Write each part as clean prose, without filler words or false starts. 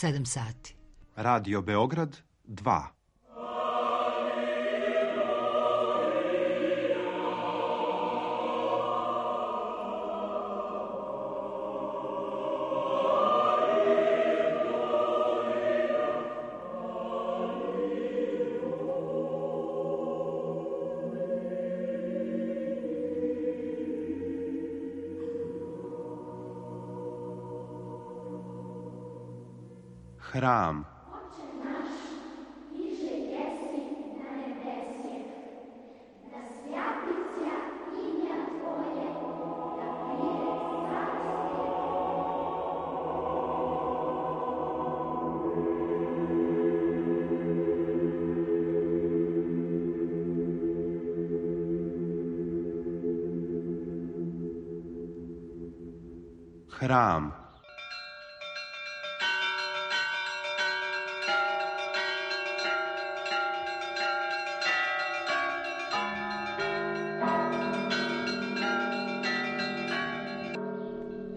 7 sati. Radio Beograd 2. Hram. Hram.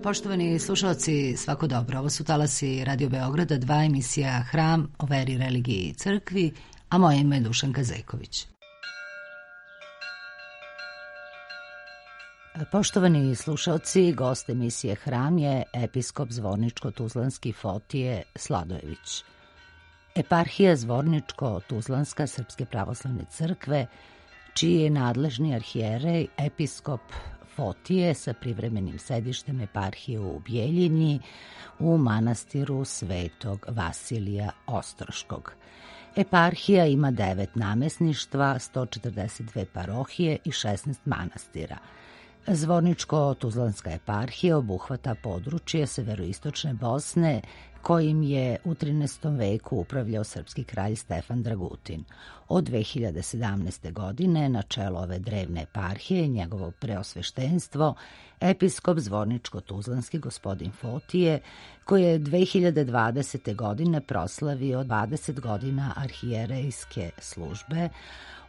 Poštovani slušalci, svako dobro. Ovo su talasi Radio Beograda 2, emisija Hram o veri, religiji i crkvi, a moje ime je Dušanka Zejković. Poštovani slušalci, gost emisije Hram je episkop Zvorničko-Tuzlanski Fotije Sladojević. Eparhija Zvorničko-Tuzlanska Srpske pravoslavne crkve, čiji je nadležni arhijerej episkop Fotije sa privremenim sedištem eparhije u Bjeljini u manastiru Svetog Vasilija Ostroškog. Eparhija ima 9 namesništva, 142 parohije i 16 manastira. Zvorničko-Tuzlanska eparhija obuhvata područje severoistočne Bosne, kojim je u 13. veku upravljao srpski kralj Stefan Dragutin. Od 2017. godine na čelo ove drevne eparhije njegovo preosveštenstvo, episkop Zvorničko-Tuzlanski gospodin Fotije, koji je 2020. godine proslavio 20 godina arhijerejske službe.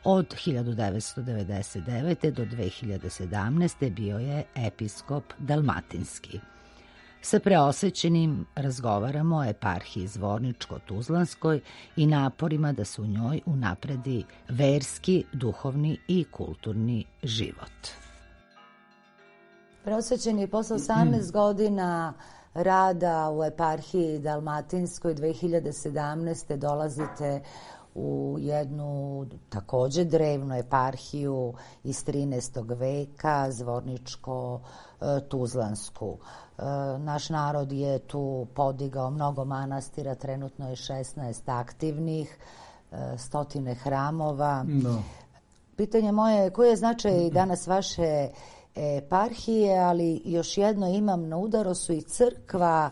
Od 1999. do 2017. bio je episkop Dalmatinski. Sa preosvećenim razgovaramo o eparhiji Zvorničko-Tuzlanskoj i naporima da se u njoj unapredi verski, duhovni i kulturni život. Preosvećeni posle 18 godina rada u eparhiji Dalmatinskoj 2017. dolazite u jednu takođe drevnu eparhiju iz 13. veka, Zvorničko-Tuzlansku. Naš narod je tu podigao mnogo manastira, trenutno je 16 aktivnih, 100 hramova. No. Pitanje moje je koji je značaj danas vaše eparhije, ali još jedno imam na udaru su i crkva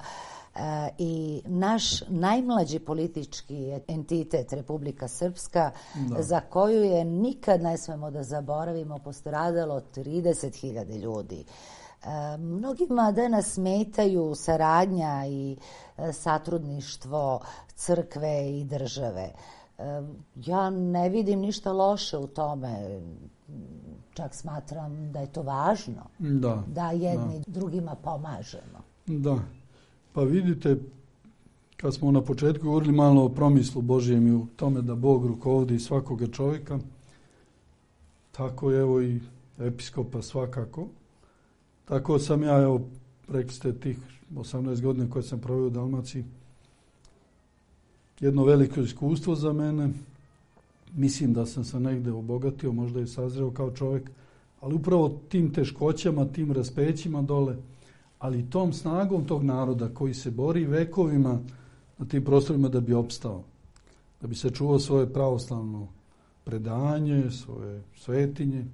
i naš najmlađi politički entitet Republika Srpska, za koju je nikad ne smemo da zaboravimo postradalo 30.000 ljudi. Mnogima danas smetaju saradnja i satrudništvo crkve i države. Ja ne vidim ništa loše u tome, čak smatram da je to važno, da jedni drugima pomažemo. Da. Pa vidite, kad smo na početku govorili malo o promislu Božijem i u tome da Bog rukovodi svakoga čovjeka, tako je evo i episkopa svakako. Tako sam ja, evo, rekli ste tih 18 godina koje sam proveo u Dalmaciji, jedno veliko iskustvo za mene. Mislim da sam se negde obogatio, možda i sazreo kao čovjek, ali upravo tim teškoćama, tim raspećima dole, ali tom snagom tog naroda koji se bori vekovima na tim prostorima da bi opstao, da bi sačuvao svoje pravoslavno predanje, svoje svetinje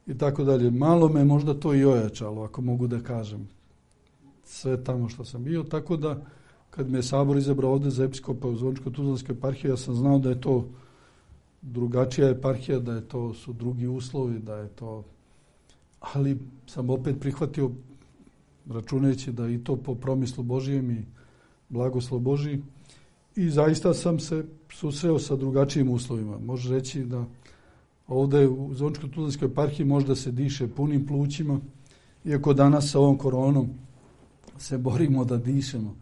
i tako dalje. Malo me možda to i ojačalo, ako mogu da kažem, sve tamo što sam bio, tako da kad me je Sabor izabrao ovde za episkopa u Zvorničko-Tuzlanskoj eparhiji, ja sam znao da je to drugačija eparhija, da je to su drugi uslovi, da je to, ali sam opet prihvatio računajući da i to po promislu Božijem i blagoslov Božiji. I zaista sam se susreo sa drugačijim uslovima. Može reći da ovde u Zvorničko-Tuzlanskoj eparhiji možda se diše punim plućima, iako danas sa ovom koronom se borimo da dišemo.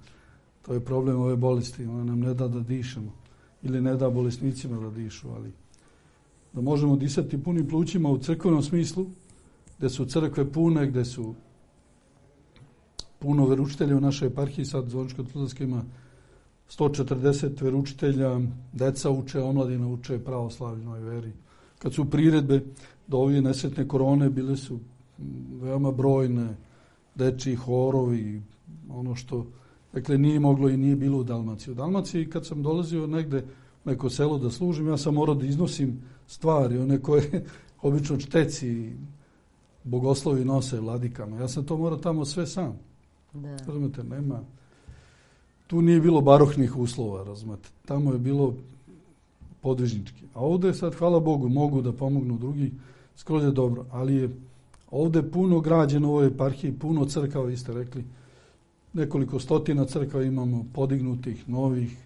To je problem ove bolesti. Ona nam ne da da dišemo. Ili ne da bolesnicima da dišu, ali da možemo disati punim plućima u crkvenom smislu, gdje su crkve pune, gdje su puno veručitelja u našoj eparhiji. Sad Zvorničko-Tuzlanska ima 140 veručitelja, deca uče, omladina uče pravoslavnoj veri. Kad su priredbe do ove nesretne korone, bile su veoma brojne, dečji horovi, ono što, dakle, nije moglo i nije bilo u Dalmaciji. U Dalmaciji, kad sam dolazio negde u neko selo da služim, ja sam morao da iznosim stvari, one koje obično čteci bogoslovi nose vladikama. Ja sam to morao tamo sve sam. Da. Razumete, nema. Tu nije bilo baroknih uslova, razumete. Tamo je bilo podvižnički. A ovdje sad, hvala Bogu, mogu da pomognu drugi, skroz je dobro. Ali je ovdje puno građeno u ovoj eparhiji, puno crkava, vi ste rekli. Nekoliko stotina crkava imamo, podignutih, novih.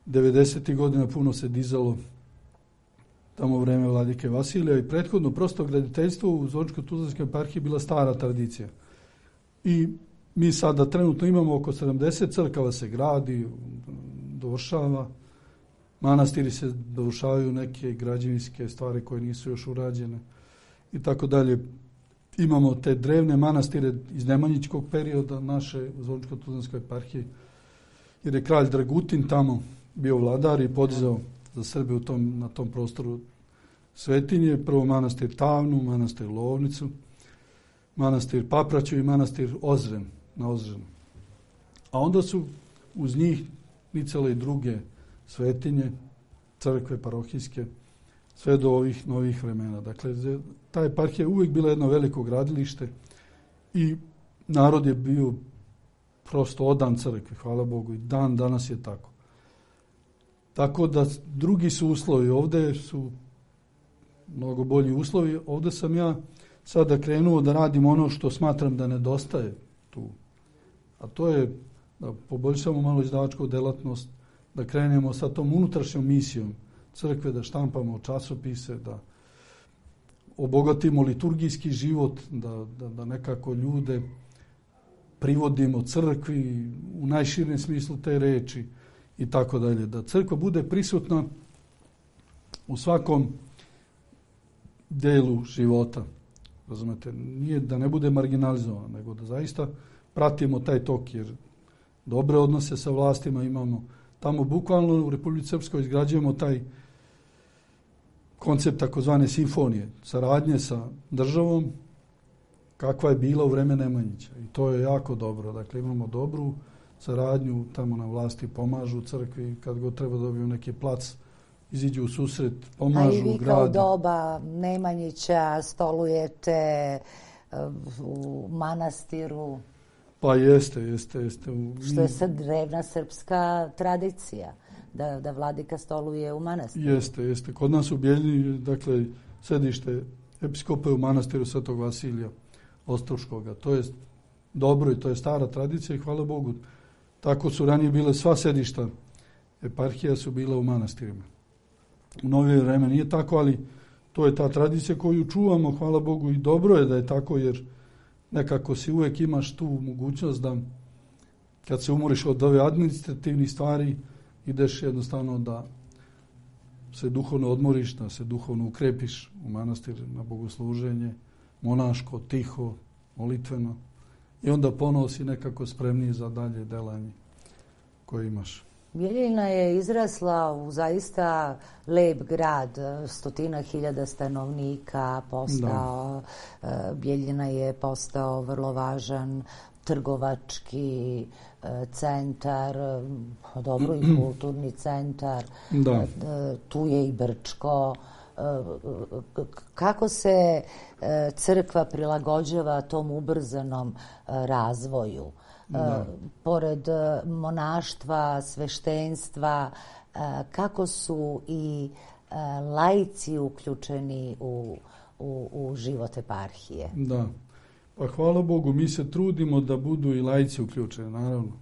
90. godina puno se dizalo tamo u vreme vladike Vasilija i prethodno prosto graditeljstvo u Zvorničko-Tuzlanskoj eparhiji bila stara tradicija. I mi sada trenutno imamo oko 70 crkava se gradi, dovršava. Manastiri se dovršavaju, neke građevinske stvari koje nisu još urađene i tako dalje. Imamo te drevne manastire iz nemanjičkog perioda naše Zvorničko-Tuzlanskoj eparhije, jer je kralj Dragutin tamo bio vladar i podizao za Srbe na tom prostoru svetinje. Prvo manastir Tavnu, manastir Lovnicu, manastir Papraću i manastir Ozren na Ozrenu. A onda su uz njih nicale i druge svetinje, crkve parohijske, sve do ovih novih vremena. Dakle, ta eparhija je uvijek bila jedno veliko gradilište i narod je bio prosto odan crkvi, hvala Bogu, i dan danas je tako. Tako da drugi su uslovi, ovdje su mnogo bolji uslovi. Ovdje sam ja sada krenuo da radim ono što smatram da nedostaje tu. A to je da poboljšamo malo izdavačku delatnost, da krenemo sa tom unutrašnjom misijom crkve, da štampamo časopise, da obogatimo liturgijski život, da nekako ljude privodimo crkvi u najširem smislu te reči i tako dalje. Da crkva bude prisutna u svakom delu života. Razumete, nije da ne bude marginalizovana, nego da zaista pratimo taj tok, jer dobre odnose sa vlastima imamo. Tamo bukvalno u Republici Srpskoj izgrađujemo taj koncept takozvane simfonije, saradnje sa državom, kakva je bila u vreme Nemanjića. I to je jako dobro. Dakle, imamo dobru saradnju, tamo na vlasti pomažu crkvi, kad god treba dobiju neki plac, iziđu u susret, pomažu gradu. A i vi kao doba Nemanjića stolujete u manastiru? Pa jeste. Što je sad drevna srpska tradicija, da vladika stoluje u manastiru. Jeste. Kod nas u Bijeljini, dakle, sedište episkopa je u manastiru Svetog Vasilija Ostroškoga. To je dobro i to je stara tradicija i hvala Bogu. Tako su ranije bile sva sedišta eparhija su bila u manastirima. U novije vreme nije tako, ali to je ta tradicija koju čuvamo, hvala Bogu, i dobro je da je tako, jer nekako si uvijek imaš tu mogućnost da kad se umoriš od ove administrativnih stvari, ideš jednostavno da se duhovno odmoriš, da se duhovno ukrepiš u manastir na bogosluženje, monaško, tiho, molitveno, i onda ponovo si nekako spremniji za dalje delanje koje imaš. Bijeljina je izrasla u zaista lep grad, 100.000 stanovnika, Bijeljina je postao vrlo važan trgovački centar, dobro i kulturni centar, tu je i Brčko. Kako se crkva prilagođava tom ubrzanom razvoju? Pored monaštva, sveštenstva, kako su i laici uključeni u život eparhije? Da, pa hvala Bogu, mi se trudimo da budu i laici uključeni, naravno.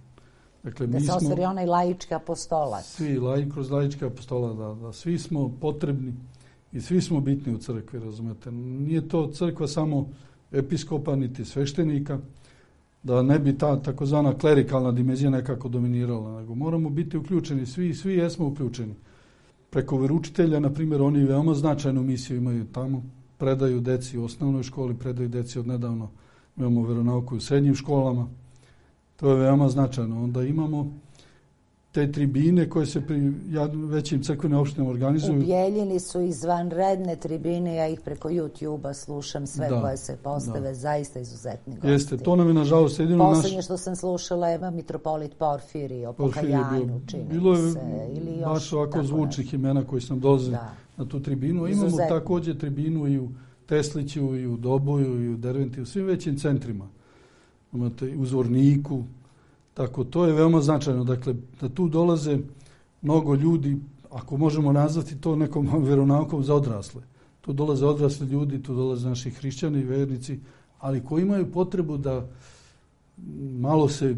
Dakle, da se ostvari onaj laički apostolat. Svi, kroz laički apostolat, da svi smo potrebni i svi smo bitni u crkvi, razumete. Nije to crkva samo episkopa niti sveštenika, da ne bi ta takozvana klerikalna dimenzija nekako dominirala, nego moramo biti uključeni, svi jesmo uključeni. Preko veroučitelja, na primjer, oni veoma značajnu misiju imaju tamo, predaju deci u osnovnoj školi, predaju deci od nedavno, imamo veronauku u srednjim školama, to je veoma značajno. Onda imamo te tribine koje se pri većim crkvenim opštinama organizuju. U Bjeljini su izvanredne tribine, ja ih preko YouTube-a slušam sve koje se postave, zaista izuzetni gosti. Jeste, to nam je nažalost jedino Poslednje što sam slušala je mitropolit Porfirij o pokajanju, čini bilo se. Bilo je baš ovako zvučnih imena koji sam dolazio na tu tribinu. Imamo također tribinu i u Tesliću, i u Doboju, i u Derventi, u svim većim centrima. Imate u Zvorniku. Tako, to je veoma značajno. Dakle, da tu dolaze mnogo ljudi, ako možemo nazvati to nekom veronaukom za odrasle. Tu dolaze odrasli ljudi, tu dolaze naši hrišćani i vernici, ali koji imaju potrebu da malo se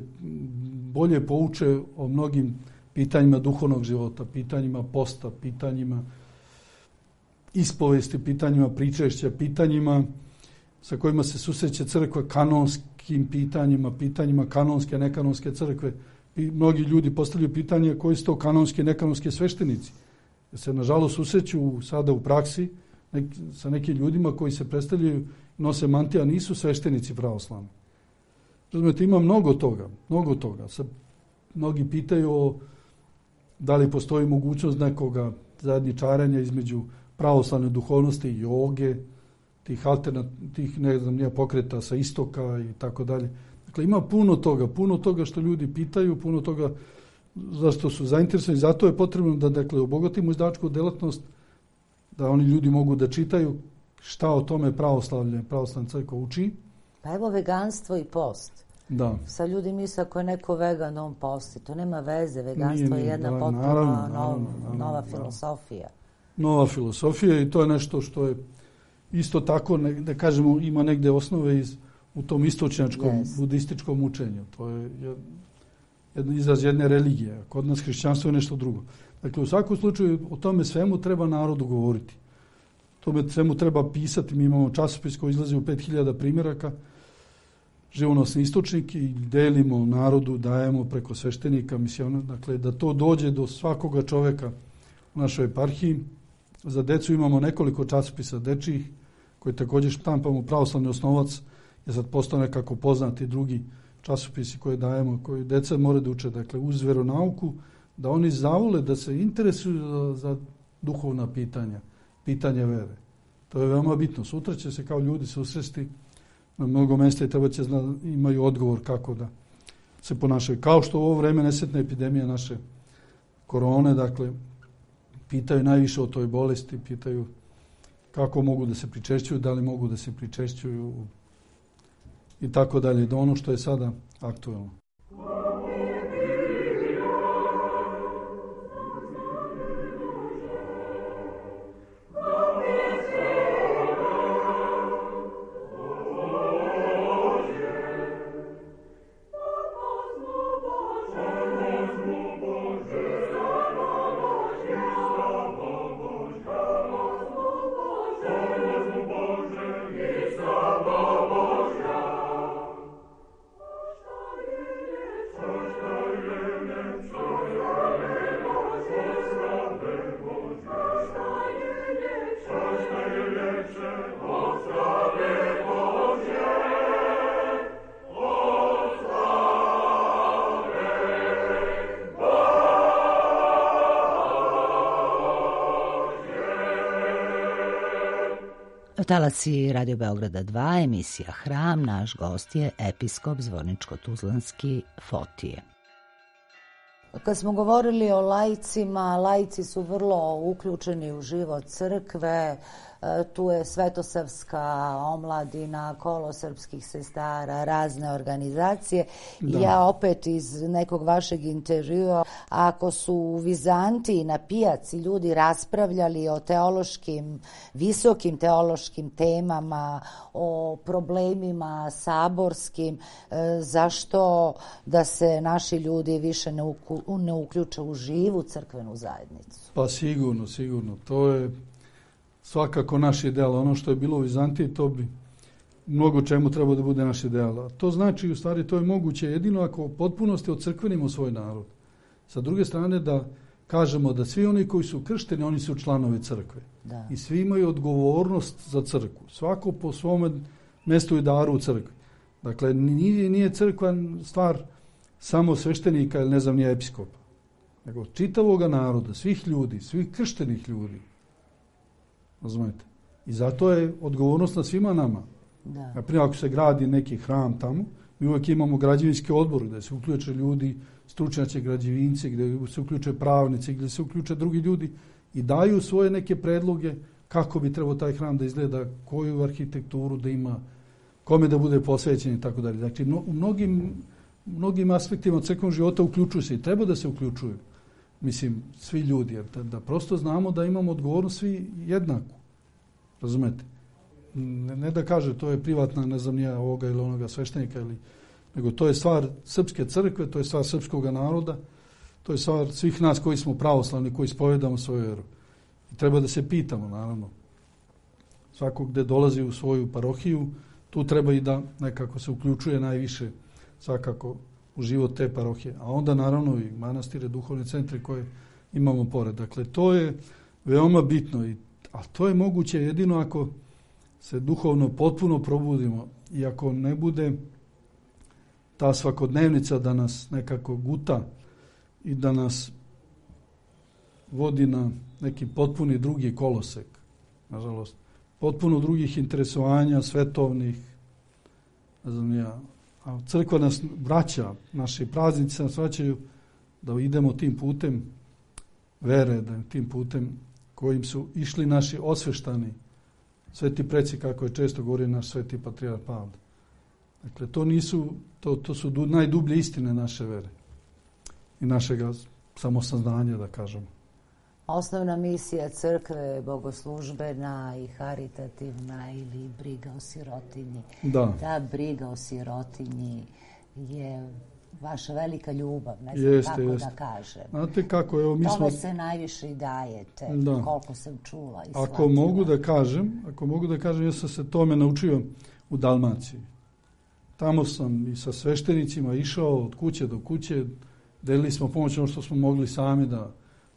bolje pouče o mnogim pitanjima duhovnog života, pitanjima posta, pitanjima ispovesti, pitanjima pričešća, pitanjima sa kojima se susreće crkva, kanonskim pitanjima kanonske, nekanonske crkve. I mnogi ljudi postavljaju pitanje koji su to kanonske, nekanonske sveštenici. Jer se, nažalost, susreću sada u praksi sa nekim ljudima koji se predstavljaju, nose mantije, a nisu sveštenici pravoslavni. Razumete, ima mnogo toga. Mnogi pitaju da li postoji mogućnost nekoga zajedničarenja između pravoslavne duhovnosti i joge, tih ne znam nije pokreta sa istoka i tako dalje. Dakle, ima puno toga što ljudi pitaju, puno toga zašto su zainteresovani. Zato je potrebno da, dakle, obogatimo izdavačku delatnost, da oni ljudi mogu da čitaju šta o tome pravoslavna crkva uči. Pa evo veganstvo i post. Da. Sa ljudi misle ako je neko vegan, on posti. To nema veze. Veganstvo je jedna potpuno nova filosofija. Nova filosofija i to je nešto što je isto tako, da kažemo, ima negde osnove u tom istočnjačkom budističkom učenju. To je izraz jedne religije. Kod nas hrišćanstvo je nešto drugo. Dakle, u svakom slučaju o tome svemu treba narodu govoriti. Tome svemu treba pisati. Mi imamo časopis koji izlazi u 5000 primjeraka, živonosni istočnik, i delimo narodu, dajemo preko sveštenika, misiona. Dakle, da to dođe do svakoga čoveka u našoj eparhiji. Za decu imamo nekoliko časopisa dečijih, koji također štampamo. Pravoslavni osnovac je sad postao nekako poznati, drugi časopisi koje dajemo, koji deca moraju da uče. Dakle, uz veronauku, da oni zavole, da se interesuju za duhovna pitanja vere. To je veoma bitno. Sutra će se kao ljudi susresti na mnogo mjesta i treba će imaju odgovor kako da se ponašaju. Kao što u ovo vreme nesretna epidemija naše korone, dakle, pitaju najviše o toj bolesti, pitaju kako mogu da se pričešćuju, da li mogu da se pričešćuju i tako dalje, do ono što je sada aktuelno. Talasi Radio Beograda 2, emisija Hram, naš gost je episkop Zvorničko-Tuzlanski Fotije. Kad smo govorili o laicima, laici su vrlo uključeni u život crkve, tu je Svetosavska omladina, kolo srpskih sestara, razne organizacije. Da. Ja opet iz nekog vašeg intervjua, ako su u Vizantiji na pijaci ljudi raspravljali o visokim teološkim temama, o problemima saborskim, zašto da se naši ljudi više ne uključe u živu crkvenu zajednicu? Pa sigurno. To je svakako naš ideal. Ono što je bilo u Vizantiji, to bi mnogo čemu treba da bude naš ideal. A to znači, u stvari, to je moguće jedino ako u potpunosti ocrkvenimo svoj narod. Sa druge strane, da kažemo da svi oni koji su kršteni, oni su članovi crkve. Da. I svi imaju odgovornost za crkvu. Svako po svome mjestu i daru u crkvi. Dakle, nije crkva stvar samo sveštenika ili ne znam nije episkopa. Nego čitavoga naroda, svih ljudi, svih krštenih ljudi. Razumijete? I zato je odgovornost na svima nama. Da. Naprimjer, ako se gradi neki hram tamo, mi uvijek imamo građevinski odbor gdje se uključe ljudi, stručnjaci građevinci, gdje se uključe pravnici, gdje se uključe drugi ljudi i daju svoje neke predloge kako bi trebao taj hram da izgleda, koju arhitekturu da ima, kome da bude posvećen i tako dalje. Znači, u mnogim aspektima crkvenog života uključuju se i treba da se uključuju. Mislim, svi ljudi, jer da prosto znamo da imamo odgovornost svi jednaku. Razumete? Ne da kaže to je privatna, ne znam nija ovoga ili onoga sveštenika, nego to je stvar srpske crkve, to je stvar srpskog naroda, to je stvar svih nas koji smo pravoslavni, koji ispovedamo svoju vjeru. I treba da se pitamo, naravno. Svako gde dolazi u svoju parohiju, tu treba i da nekako se uključuje najviše svakako u život te parohije. A onda naravno i manastire, duhovne centre koje imamo pored. Dakle, to je veoma bitno, a to je moguće jedino ako se duhovno potpuno probudimo i ako ne bude ta svakodnevnica da nas nekako guta i da nas vodi na neki potpuni drugi kolosek, nažalost. Potpuno drugih interesovanja, svetovnih, ne znam ja. A crkva nas vraća, naši praznici nas vraćaju da idemo tim putem vere, da tim putem kojim su išli naši osveštani sveti preci, kako je često govorio naš sveti patrijarh Pavle. Dakle, to su najdublje istine naše vere i našega samosaznanja, da kažemo. Osnovna misija crkve je bogoslužbena i haritativna ili briga o sirotinji. Da. Ta briga o sirotinji je vaša velika ljubav, ne znam kako da kažem. Znate kako, evo mi Tome se najviše i dajete, koliko sam čula i shvatila. Ako mogu da kažem, ja sam se tome naučio u Dalmaciji. Tamo sam i sa sveštenicima išao od kuće do kuće, delili smo pomoć ono što smo mogli sami da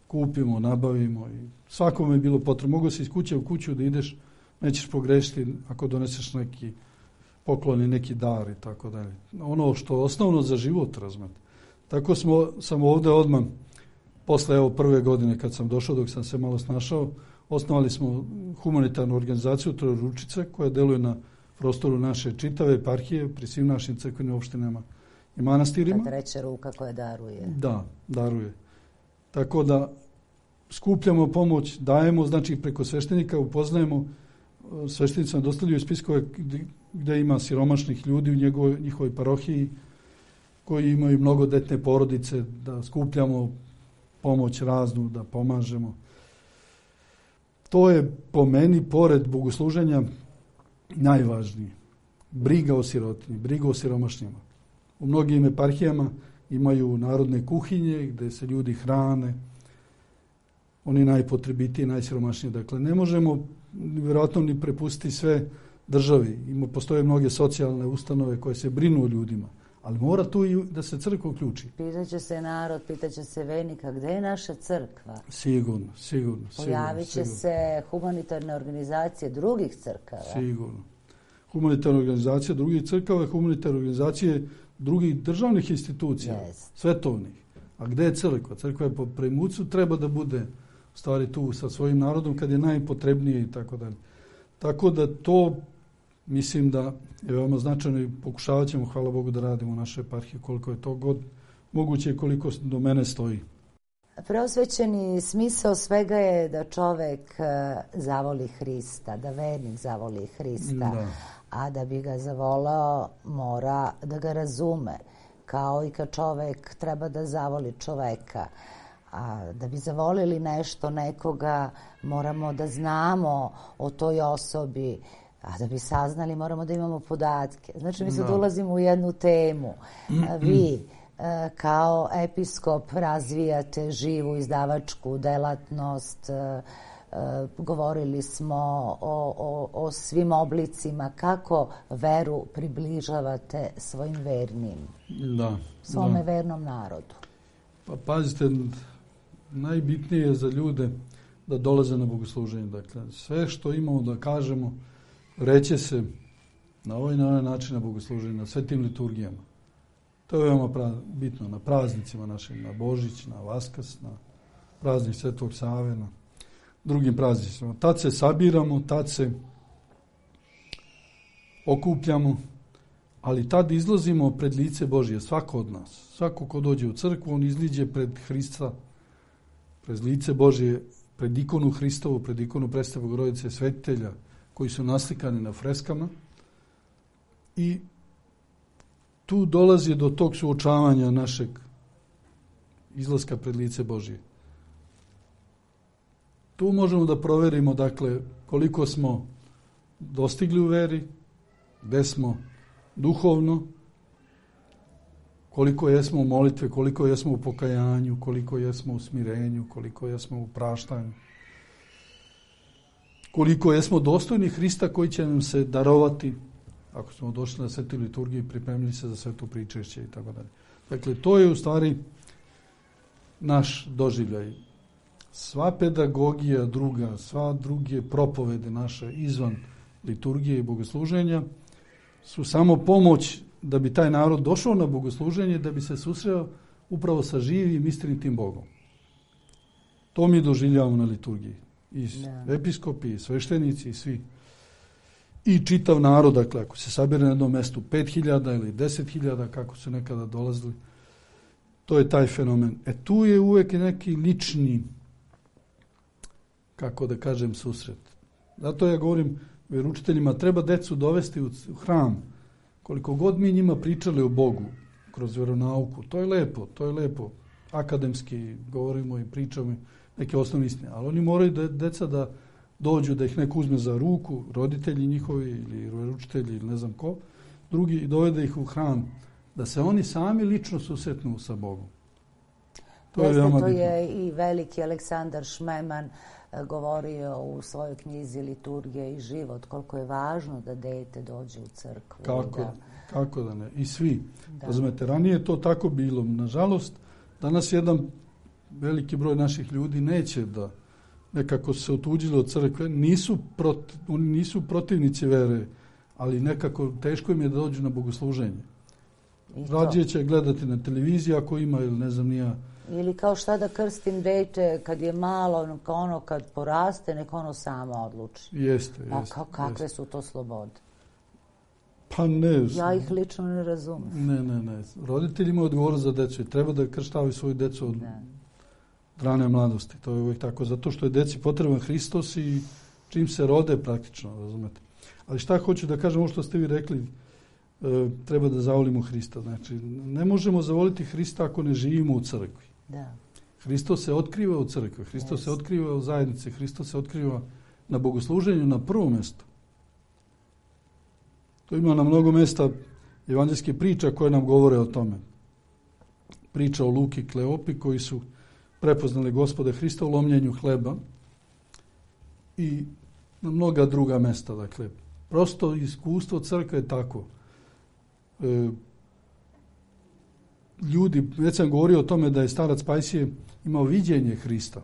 kupimo, nabavimo i svakome je bilo potrebno. Mogu se iz kuće u kuću da ideš, nećeš pogrešiti ako doneseš neki poklon i neki dar i tako dalje. Ono što je osnovno za život, razumete. Tako sam ovdje odmah, posle prve godine kad sam došao, dok sam se malo snašao, osnovali smo humanitarnu organizaciju Trojeručice koja deluje na prostoru naše čitave eparhije pri svim našim crkvenim opštinama i manastirima. Ta treća ruka koja daruje. Da, daruje. Tako da skupljamo pomoć, dajemo, znači preko sveštenika upoznajemo, sveštenicama dostavljaju spiskove gdje ima siromašnih ljudi u njihovoj parohiji koji imaju mnogodetne porodice, da skupljamo pomoć raznu, da pomažemo. To je po meni, pored bogosluženja, najvažnije. Briga o sirotinji, briga o siromašnjima. U mnogim eparhijama imaju narodne kuhinje gdje se ljudi hrane, oni najpotrebitiji, najsiromašniji. Dakle, ne možemo vjerojatno ni prepustiti sve državi. Postoje mnoge socijalne ustanove koje se brinu o ljudima, ali mora tu i da se crkva uključi. Pitaće se narod, pitaće se vernika, gdje je naša crkva? Sigurno. Pojavit će se humanitarne organizacije drugih crkava. Sigurno. Humanitarne organizacije drugih crkava, humanitarne organizacije drugih državnih institucija, svetovnih. A gdje je crkva? Crkva je po primucu, treba da bude stvari tu sa svojim narodom kad je najpotrebnije i tako dalje. Tako da to mislim da je veoma značajno i pokušavat ćemo, hvala Bogu, da radimo u našoj eparhiji koliko je to god moguće i koliko do mene stoji. Preosvećeni smisao svega je da čovek zavoli Hrista, da vernik zavoli Hrista, a da bi ga zavolao mora da ga razume, kao i kad čovek treba da zavoli čoveka. A da bi zavolili nešto, nekoga, moramo da znamo o toj osobi, a da bi saznali moramo da imamo podatke. Znači mi sad ulazimo u jednu temu. Vi kao episkop razvijate živu izdavačku delatnost, govorili smo o svim oblicima. Kako veru približavate svojim vernim, svome vernom narodu? Pa pazite, najbitnije je za ljude da dolaze na bogosluženje. Dakle, sve što imamo da kažemo, reće se na ovaj način na bogosluženje, na svetim liturgijama. To je veoma bitno na praznicima našim, na Božić, na Vaskrs, na praznik Svetog Save, na drugim praznicima. Tad se sabiramo, tad se okupljamo, ali tad izlazimo pred lice Božje, svako od nas. Svako ko dođe u crkvu, on izliđe pred Hrista, pred lice Božje, pred ikonu Hristovu, pred ikonu Presvete Bogorodice Svetitelja, koji su naslikani na freskama. I tu dolazi do tog suočavanja našeg izlaska pred lice Božje. Tu možemo da proverimo, dakle, koliko smo dostigli u veri, gde smo duhovno, koliko jesmo u molitve, koliko jesmo u pokajanju, koliko jesmo u smirenju, koliko jesmo u praštanju, koliko jesmo dostojni Hrista koji će nam se darovati ako smo došli na svetu liturgiju i pripremili se za sveto pričešće i tako dalje. Dakle, to je u stvari naš doživljaj. Sva pedagogija druga, sva druge propovede naše izvan liturgije i bogosluženja su samo pomoć da bi taj narod došao na bogosluženje, da bi se susreo upravo sa živim istinitim Bogom. To mi doživljavamo na liturgiji. I episkopi, i sveštenici, i svi. I čitav narod, dakle, ako se sabire na jednom mestu 5.000 ili 10.000, kako su nekada dolazili, to je taj fenomen. Tu je uvek neki lični, kako da kažem, susret. Zato ja govorim vjeroučiteljima, treba decu dovesti u hram. Koliko god mi njima pričali o Bogu kroz vjeronauku, to je lepo. Akademski govorimo i pričamo neke osnovne istine, ali oni moraju deca da dođu, da ih neko uzme za ruku, roditelji njihovi ili vjeroučitelji ili ne znam ko, drugi, i dovede ih u hram, da se oni sami lično susretnu sa Bogom. To je i veliki Aleksandar Šmeman govorio u svojoj knjizi Liturgija i život, koliko je važno da dete dođe u crkvu. Kako da ne? I svi. Razumete, ranije to tako bilo. Nažalost, danas jedan veliki broj naših ljudi neće da nekako se otuđili od crkve. Oni nisu protivnici vere, ali nekako teško im je da dođu na bogosluženje. Rađe će gledati na televiziji ako ima ili ne znam nija. Ili kao šta da krstim dete kad je malo, ono kad poraste, nek ono samo odluči. Jeste. Kakve su to slobode? Pa ne. Ja ih lično ne razumem. Ne. Roditelji imaju odgovornost za decu i treba da krštavaju svoju decu od rane mladosti. To je uvijek tako. Zato što je deci potreban Hristos i čim se rode praktično, razumete. Ali šta hoću da kažem, ovo što ste vi rekli, treba da zavolimo Hrista. Znači, ne možemo zavoliti Hrista ako ne živimo u crkvi. Da. Hristos se otkriva u crkvi, Hristos se otkriva u zajednici, Hristos se otkriva na bogosluženju na prvom mjestu. To ima na mnogo mjesta evanđelske priča koje nam govore o tome. Priča o Luki i Kleopi koji su prepoznali Gospoda Hrista u lomljenju hleba i na mnoga druga mjesta. Dakle, prosto iskustvo crkve je tako. Ljudi, već sam govorio o tome da je starac Pajsije imao viđenje Hrista.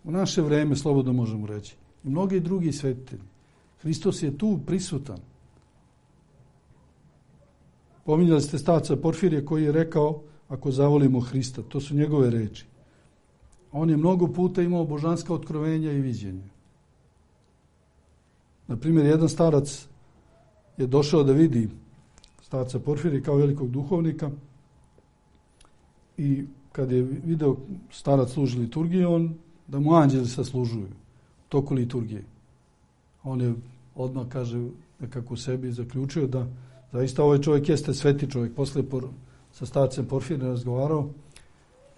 U naše vreme, slobodno možemo reći. I mnogi drugi svetitelji. Hristos je tu prisutan. Pominjali ste starca Porfirije koji je rekao, ako zavolimo Hrista, to su njegove reči. On je mnogo puta imao božanska otkrovenja i viđenja. Naprimjer, jedan starac je došao da vidi starca Porfirije kao velikog duhovnika i kad je video starac služi liturgiju, da mu anđeli saslužuju u toku liturgije. On je odmah, kaže, nekako u sebi zaključio da zaista ovaj čovjek jeste sveti čovjek. Poslije sa starcem Porfirijem razgovarao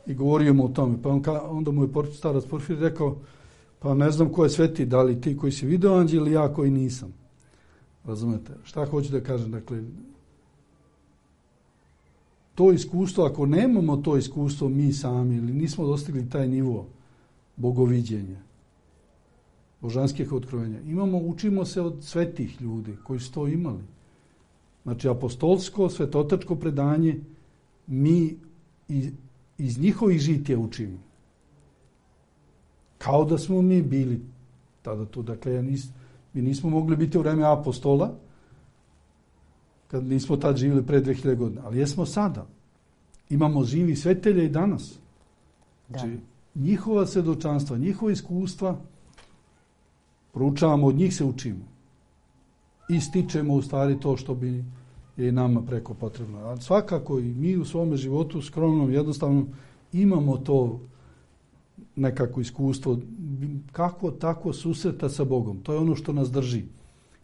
i govorio mu o tome. Pa onda mu je starac Porfirije rekao, pa ne znam ko je sveti, da li ti koji si video anđel ili ja koji nisam. Razumete? Šta hoću da kažem? Dakle, to iskustvo, ako nemamo to iskustvo mi sami ili nismo dostigli taj nivo bogoviđenja, božanskih otkrovenja. Učimo se od svetih ljudi koji su to imali. Znači, apostolsko, svetotačko predanje mi iz njihovih žitija učimo. Kao da smo mi bili tada tu. Dakle, mi nismo mogli biti u vreme apostola, kad nismo tad živjeli pre 2000 godina. Ali jesmo sada. Imamo živi svetelje i danas. Znači, njihova svjedočanstva, njihova iskustva, proučavamo, od njih se učimo. I stičemo u stvari to što bi je i nama preko potrebno. A svakako i mi u svome životu skromnom, jednostavno, imamo to nekako iskustvo, kako tako susreta sa Bogom. To je ono što nas drži.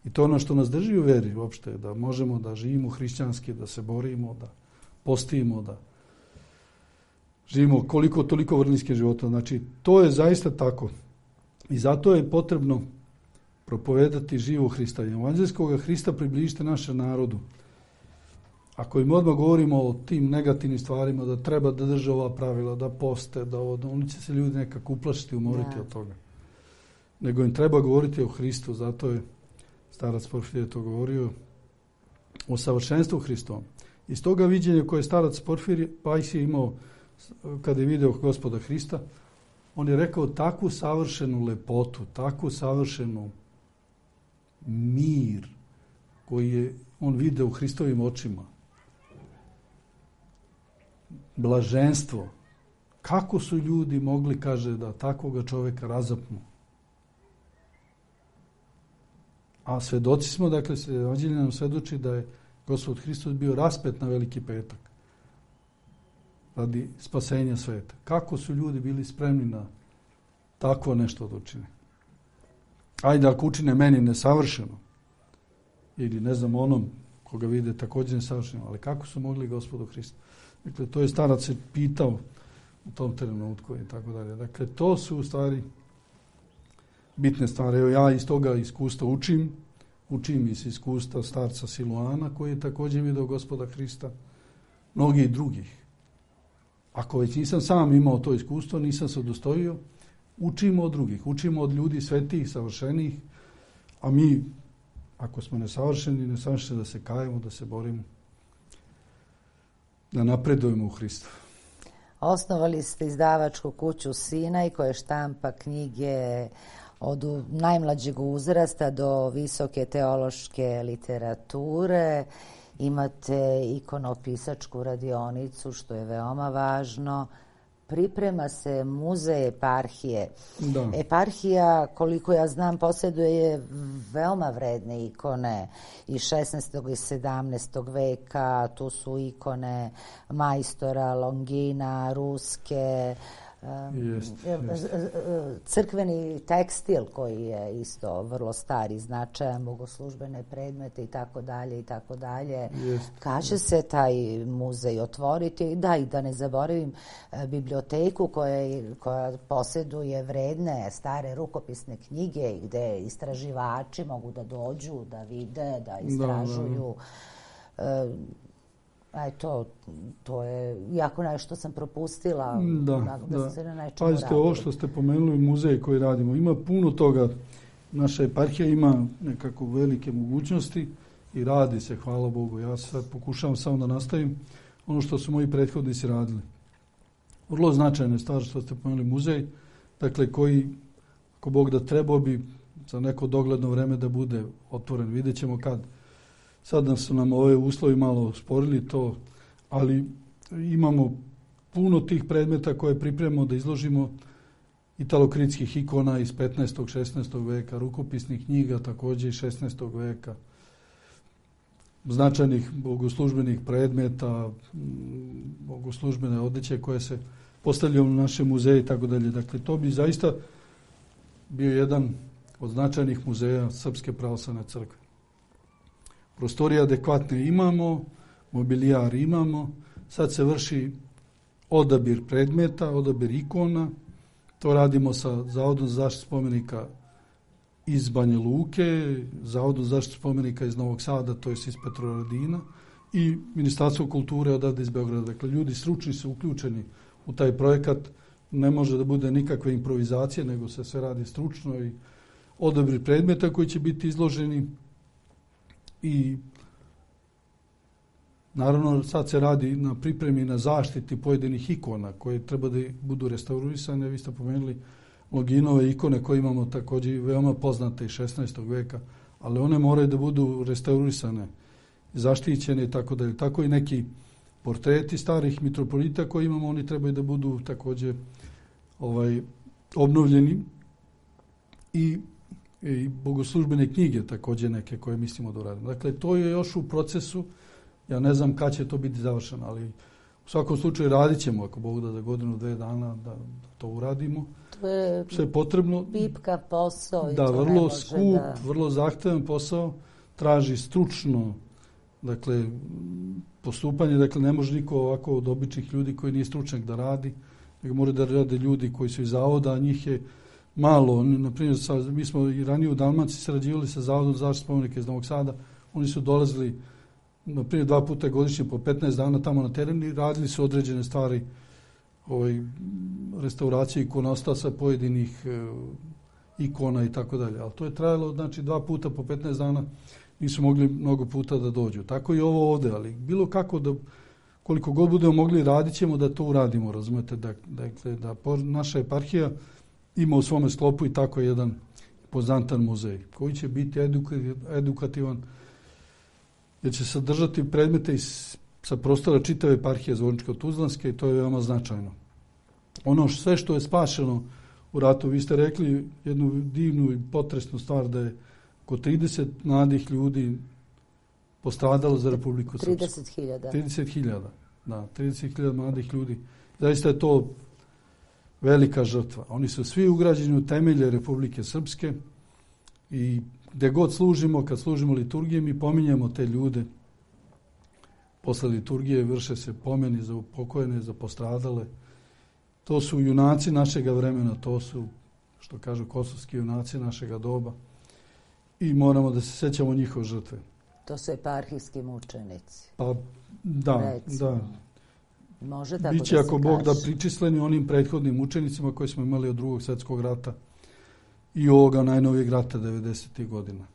I to je ono što nas drži u veri uopšte, da možemo da živimo hrišćanski, da se borimo, da postimo, da živimo koliko toliko vrlinske života. Znači, to je zaista tako. I zato je potrebno propovedati živo Hrista. Evanđelskog Hrista približite našem narodu. Ako im odmah govorimo o tim negativnim stvarima, da treba da drže ova pravila, da poste, da oni će se ljudi nekako uplašiti, umoriti od toga. Nego im treba govoriti o Hristu, zato je starac Porfirije to govorio, o savršenstvu Hristovom. Iz toga viđenja koje je starac Porfirije Pajsije imao kada je video Gospoda Hrista, on je rekao takvu savršenu lepotu, takvu savršenu mir koji je on video u Hristovim očima. Blaženstvo. Kako su ljudi mogli, kaže, da takvoga čoveka razapnu? A svedoci smo, dakle, Evanđelje nam svedoči da je Gospod Hristos bio raspet na Veliki petak radi spasenja sveta. Kako su ljudi bili spremni na takvo nešto da učine? Ajde, ako učine meni nesavršeno, ili ne znam onom koga vide također nesavršeno, ali kako su mogli Gospodu Hristu? Dakle, to je starac se pitao u tom trenutku i tako dalje. Dakle, to su u stvari bitne stvari. Evo, ja iz toga iskustva učim iz iskustva starca Siluana, koji je također vidio Gospoda Hrista, mnogi drugih. Ako već nisam sam imao to iskustvo, nisam se udostojio, učimo od drugih, učimo od ljudi svetih, savršenih, a mi, ako smo nesavršeni da se kajemo, da se borimo, da napredujemo u Hristu. Osnovali ste izdavačku kuću Sinaj koja štampa knjige od najmlađeg uzrasta do visoke teološke literature. Imate ikonopisačku radionicu, što je veoma važno. Priprema se muzej eparhije. Da. Eparhija, koliko ja znam, posjeduje veoma vredne ikone iz 16. i 17. veka. Tu su ikone majstora, Longina, ruske, crkveni tekstil koji je isto vrlo stari, značajan, bogoslužbene predmete i tako dalje. Kad se taj muzej otvoriti? Da, i da ne zaboravim biblioteku koja posjeduje vredne stare rukopisne knjige gde istraživači mogu da dođu, da vide, da istražuju. Eto, to je jako nešto sam propustila da se na nečemu radi. Pazite, ovo što ste pomenuli, muzej koji radimo, ima puno toga. Naša eparhija ima nekako velike mogućnosti i radi se, hvala Bogu. Ja sad pokušavam samo da nastavim ono što su moji prethodnici radili. Vrlo značajna stvar što ste pomenuli, muzej, dakle koji, ako Bog da, trebao bi za neko dogledno vreme da bude otvoren. Vidjet ćemo kad. Sad su nam ove uslovi malo sporili to, ali imamo puno tih predmeta koje pripremamo da izložimo, italokritskih ikona iz 15. 16. veka, rukopisnih knjiga također iz 16. veka, značajnih bogoslužbenih predmeta, bogoslužbene odeće koje se postavljaju u našem muzeju i tako dalje. Dakle, to bi zaista bio jedan od značajnih muzeja Srpske pravoslavne crkve. Prostorije adekvatne imamo, mobilijar imamo, sad se vrši odabir predmeta, odabir ikona, to radimo sa Zavodom za zaštitu spomenika iz Banja Luke, Zavodom za zaštitu spomenika iz Novog Sada, to je iz Petrovaradina, i Ministarstvo kulture odavde iz Beograda. Dakle, ljudi stručni su uključeni u taj projekat, ne može da bude nikakve improvizacije, nego se sve radi stručno i odabir predmeta koji će biti izloženi i naravno sad se radi na pripremi na zaštiti pojedinih ikona koje treba da budu restaurisane. Vi ste pomenuli Longinove ikone koje imamo također veoma poznate iz 16. veka, ali one moraju da budu restaurisane, zaštićene i tako dalje. Tako i neki portreti starih mitropolita koje imamo, oni trebaju da budu također obnovljeni i bogoslužbene knjige također neke koje mislimo da uradimo. Dakle, to je još u procesu. Ja ne znam kad će to biti završeno, ali u svakom slučaju radit ćemo, ako Bog da za godinu, 2 dana da to uradimo. To je sve potrebno. pipka posao. Da, vrlo skup, vrlo zahtevan posao, traži stručno, dakle, postupanje, dakle, ne može niko ovako od običnih ljudi koji nije stručnjak da radi, nego moraju da rade ljudi koji su iz zavoda, a njih je malo. Naprimjer, mi smo i ranije u Dalmaciji sarađivali sa Zavodom za zaštitu spomenika iz Novog Sada, oni su dolazili naprimjer 2 puta godišnje po 15 dana tamo na terenu i radili su određene stvari restauracije ikonostasa pojedinih ikona i tako dalje. Ali to je trajalo, znači 2 puta po 15 dana, nisu mogli mnogo puta da dođu. Tako i ovo ovdje, ali bilo kako da, koliko god budemo mogli, radit ćemo da to uradimo, razumete, dakle, da naša eparhija ima u svome sklopu i tako jedan poznatan muzej koji će biti edukativan, jer će sadržati predmete sa prostora čitave eparhije Zvorničko-Tuzlanske i to je veoma značajno. Ono sve što je spašeno u ratu, vi ste rekli jednu divnu i potresnu stvar da je oko 30 mladih ljudi postradalo za Republiku Srpsku. 30.000. 30.000, da, 30.000 mladih ljudi. Zaista je to velika žrtva. Oni su svi ugrađeni u temelje Republike Srpske i gdje god služimo, kad služimo liturgije, mi pominjemo te ljude. Posle liturgije vrše se pomeni za upokojene, za postradale. To su junaci našega vremena, to su, što kažu, kosovski junaci našega doba. I moramo da se sećamo njihove žrtve. To su eparhijski mučenici. Pa, da, recimo. Da. Može tako biće, da se ako Bog kaže. Da, pričisleni onim prethodnim mučenicima koji smo imali od Drugog svjetskog rata i ovoga najnovijeg rata 90. godina.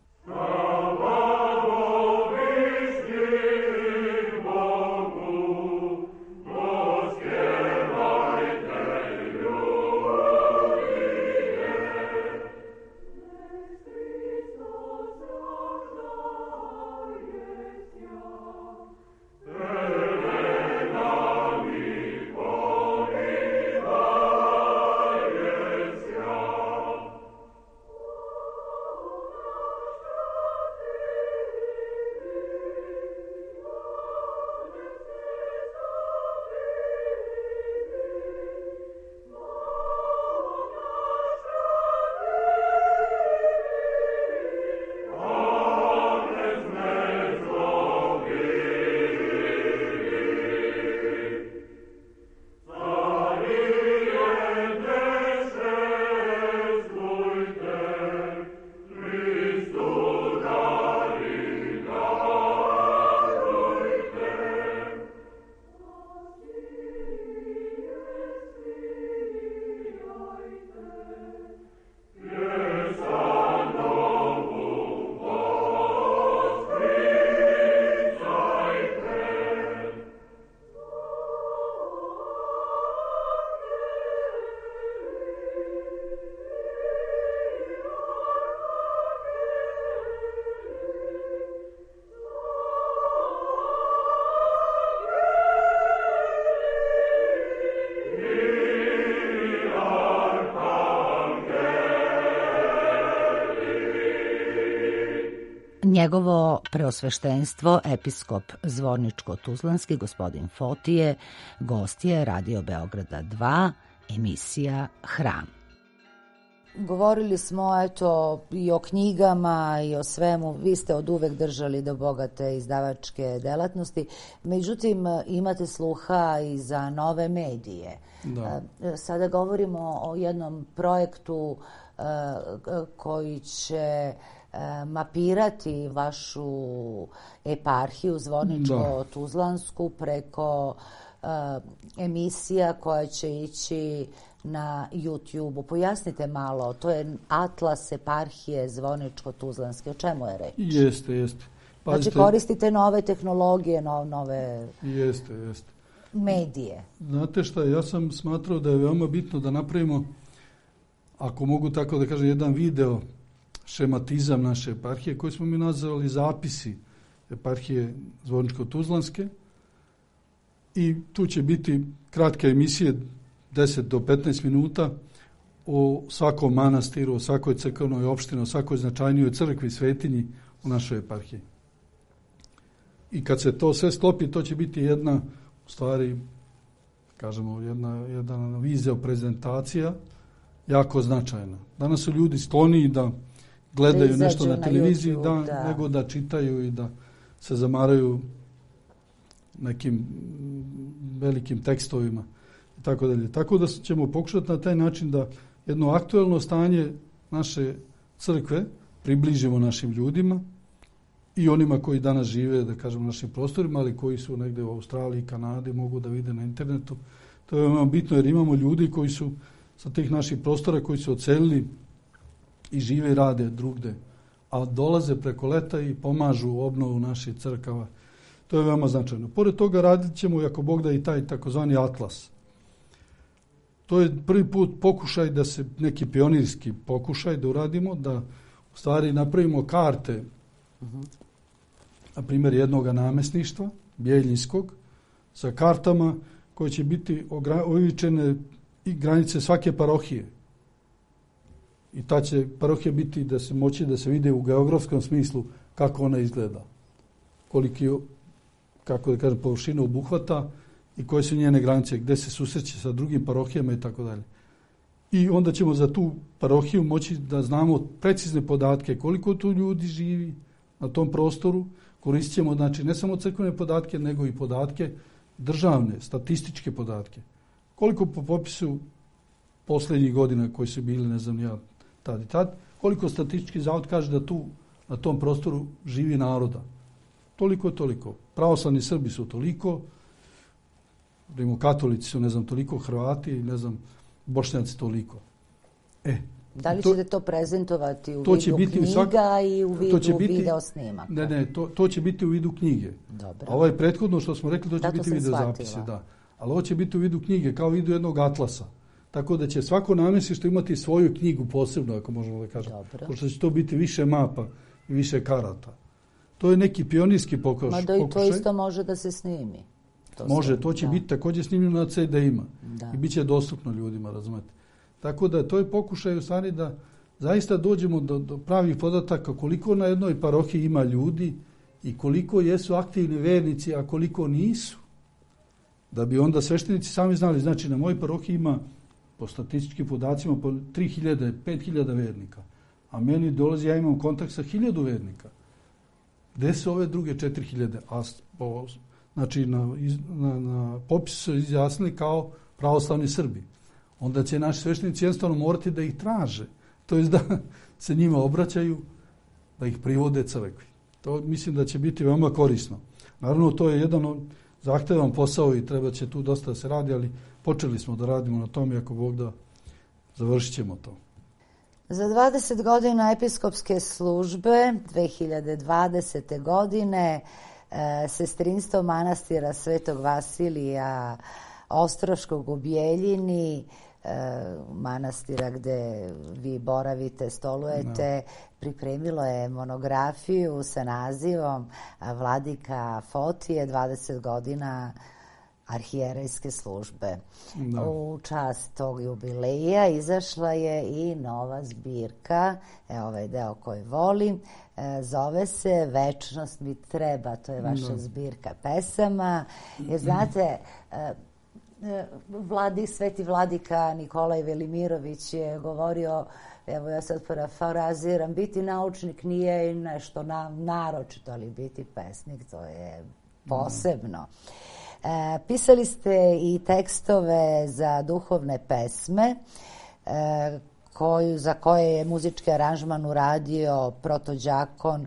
Njegovo preosveštenstvo, episkop Zvorničko-Tuzlanski, gospodin Fotije, gost je Radio Beograda 2, emisija Hram. Govorili smo i o knjigama i o svemu. Vi ste od uvek držali do bogate izdavačke delatnosti. Međutim, imate sluha i za nove medije. Da. Sada govorimo o jednom projektu koji će mapirati vašu eparhiju Zvorničko-Tuzlansku preko emisija koja će ići na YouTube-u. Pojasnite malo, to je Atlas eparhije Zvorničko-Tuzlanske. O čemu je reč? Jeste. Znači koristite nove tehnologije, nove medije. Znate šta, ja sam smatrao da je veoma bitno da napravimo, ako mogu tako da kažem, jedan video šematizam naše eparhije koji smo mi nazvali zapisi eparhije Zvorničko-Tuzlanske. I tu će biti kratke emisije 10 do 15 minuta o svakom manastiru, o svakoj crkvenoj opštini, o svakoj značajnijoj crkvi, svetinji u našoj eparhiji. I kad se to sve sklopi, to će biti jedna, u stvari, kažemo, jedna vizija prezentacija jako značajna. Danas su ljudi skloniji da gledaju nešto na televiziji, nego da čitaju i da se zamaraju nekim velikim tekstovima i tako dalje. Tako da ćemo pokušati na taj način da jedno aktuelno stanje naše crkve približimo našim ljudima i onima koji danas žive, da kažem, na našim prostorima, ali koji su negdje u Australiji, Kanadi, mogu da vide na internetu. To je veoma bitno jer imamo ljudi koji su sa tih naših prostora koji su odselili i žive i rade drugde, a dolaze preko leta i pomažu u obnovu naših crkava. To je veoma značajno. Pored toga radit ćemo, ako Bog da, i taj takozvani atlas. To je prvi put pokušaj da se, neki pionirski pokušaj da uradimo, da u stvari napravimo karte, na primjer jednog namjesništva, Bjeljinskog, sa kartama koje će biti ovičene i granice svake parohije. I ta će parohija biti da se moći da se vide u geografskom smislu kako ona izgleda, koliki, kako da kažem, površinu obuhvata i koje su njene granice, gde se susreće sa drugim parohijama i tako dalje. I onda ćemo za tu parohiju moći da znamo precizne podatke koliko tu ljudi živi na tom prostoru. Koristit ćemo, znači, ne samo crkvene podatke, nego i podatke državne, statističke podatke. Koliko po popisu posljednjih godina koji su bili, ne znam ja, tad i tad, koliko statistički zavod kaže da tu na tom prostoru živi naroda. Toliko. Pravoslavni Srbi su toliko, rimokatolici su, ne znam, toliko, Hrvati, ne znam, Bošnjaci toliko. Da li ćete to prezentovati u vidu knjiga i u vidu video snimaka? Ne, to će biti u vidu knjige. Dobro. A ovo je prethodno što smo rekli, to će biti video zapisi. Da. Ali ovo će biti u vidu knjige, kao u vidu jednog atlasa. Tako da će svako namjesništvo imati svoju knjigu posebno, ako možemo da kažemo. Pošto će to biti više mapa i više karata. To je neki pionirski pokušaj. Mada i to isto može da se snimi. To će biti također snimljeno na CD-ima. I bit će dostupno ljudima, razumete. Tako da to je pokušaj u stvari da zaista dođemo do pravih podataka koliko na jednoj parohiji ima ljudi i koliko jesu aktivni vernici, a koliko nisu. Da bi onda sveštenici sami znali, znači na mojoj parohiji ima po statističkim podacima po 3000, 5000 vernika, a meni dolazi, ja imam kontakt sa 1000 vernika. Gde su ove druge 4000? Znači na popisu su izjasnili kao pravoslavni Srbi. Onda će naši sveštenici jednostavno morati da ih traže. To je da se njima obraćaju, da ih privode crkvi. To mislim da će biti veoma korisno. Naravno, to je jedan zahtevan posao i treba će tu dosta da se radi, ali počeli smo da radimo na tom i ako Bog da, završit ćemo to. Za 20 godina episkopske službe 2020. godine sestrinstvo manastira Svetog Vasilija Ostroškog u Bjeljini, manastira gde vi boravite, stolujete, pripremilo je monografiju sa nazivom Vladika Fotije 20 godina arhijerejske službe. U čast tog jubileja izašla je i nova zbirka, ovaj deo koji volim, zove se Večnost mi treba, to je vaša zbirka pesama. Jer znate, sveti vladika Nikolaj Velimirović je govorio, evo ja sad parafraziram, biti naučnik nije nešto naročito, ali biti pesnik to je posebno. Pisali ste i tekstove za duhovne pesme za koje je muzički aranžman uradio protođakon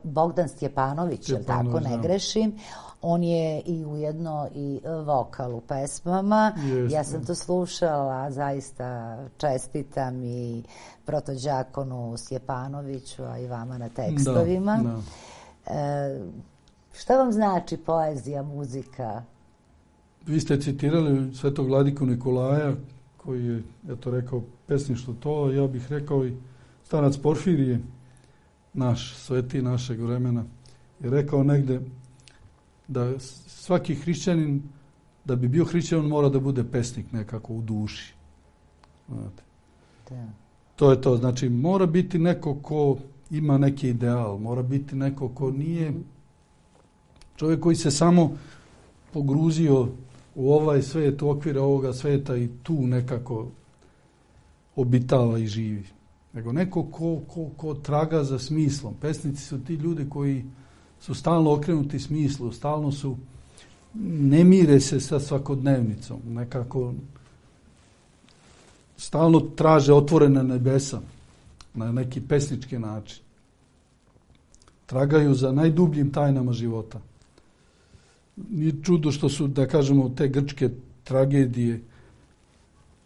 Bogdan Stjepanović, jel tako, ne grešim. On je i ujedno i vokal u pesmama. Ja sam to slušala, zaista čestitam i protođakonu Stjepanoviću, a i vama na tekstovima. Šta vam znači poezija, muzika? Vi ste citirali svetog vladiku Nikolaja, koji je, rekao pesništvo to, ja bih rekao i starac Porfirije, naš sveti našeg vremena, je rekao negde da svaki hrišćanin, da bi bio hrišćanin, mora da bude pesnik nekako u duši. Znate. Da. To je to, znači mora biti neko ko ima neki ideal, mora biti neko ko nije čovjek koji se samo pogruzio u ovaj svet, u okvire ovoga sveta i tu nekako obitava i živi. Nego neko ko traga za smislom. Pesnici su ti ljudi koji su stalno okrenuti smislu, stalno su, ne mire se sa svakodnevnicom, nekako stalno traže otvorena nebesa na neki pesnički način. Tragaju za najdubljim tajnama života. Nije čudo što su, da kažemo, te grčke tragedije,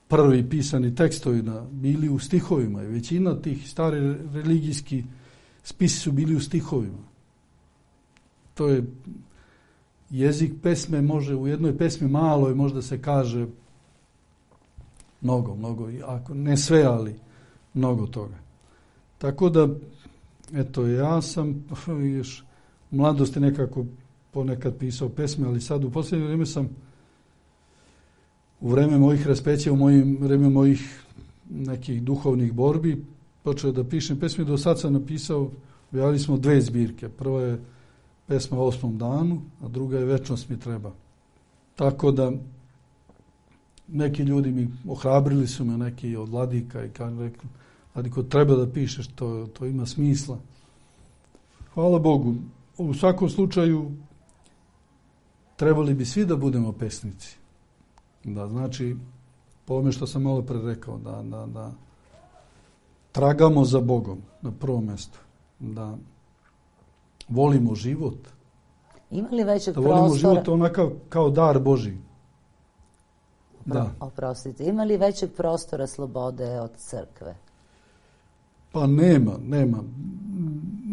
prvi pisani tekstovi bili u stihovima. I većina tih stari religijski spisi su bili u stihovima. To je jezik pesme, može u jednoj pesmi maloj možda se kaže mnogo, ako ne sve, ali mnogo toga. Tako da, ja sam još u mladosti nekako ponekad pisao pesme, ali sad u posljednje vrijeme sam u vreme mojih raspeća, u vreme mojih nekih duhovnih borbi počeo da pišem pesme. Do sad sam napisao, objavili smo 2 zbirke. Prva je pesma o 8. danu, a druga je Večnost mi treba. Tako da neki ljudi mi ohrabrili su me, neki od vladika, i rekli, Vladiko, treba da pišeš, to ima smisla. Hvala Bogu. U svakom slučaju trebali bi svi da budemo pesnici. Da, znači, po ovome što sam malo pre rekao, da tragamo za Bogom na prvom mjestu, da volimo život. Ima li većeg prostora? Da volimo život onakav kao dar Božji. Da. Oprostite, ima li većeg prostora slobode od crkve? Pa nema.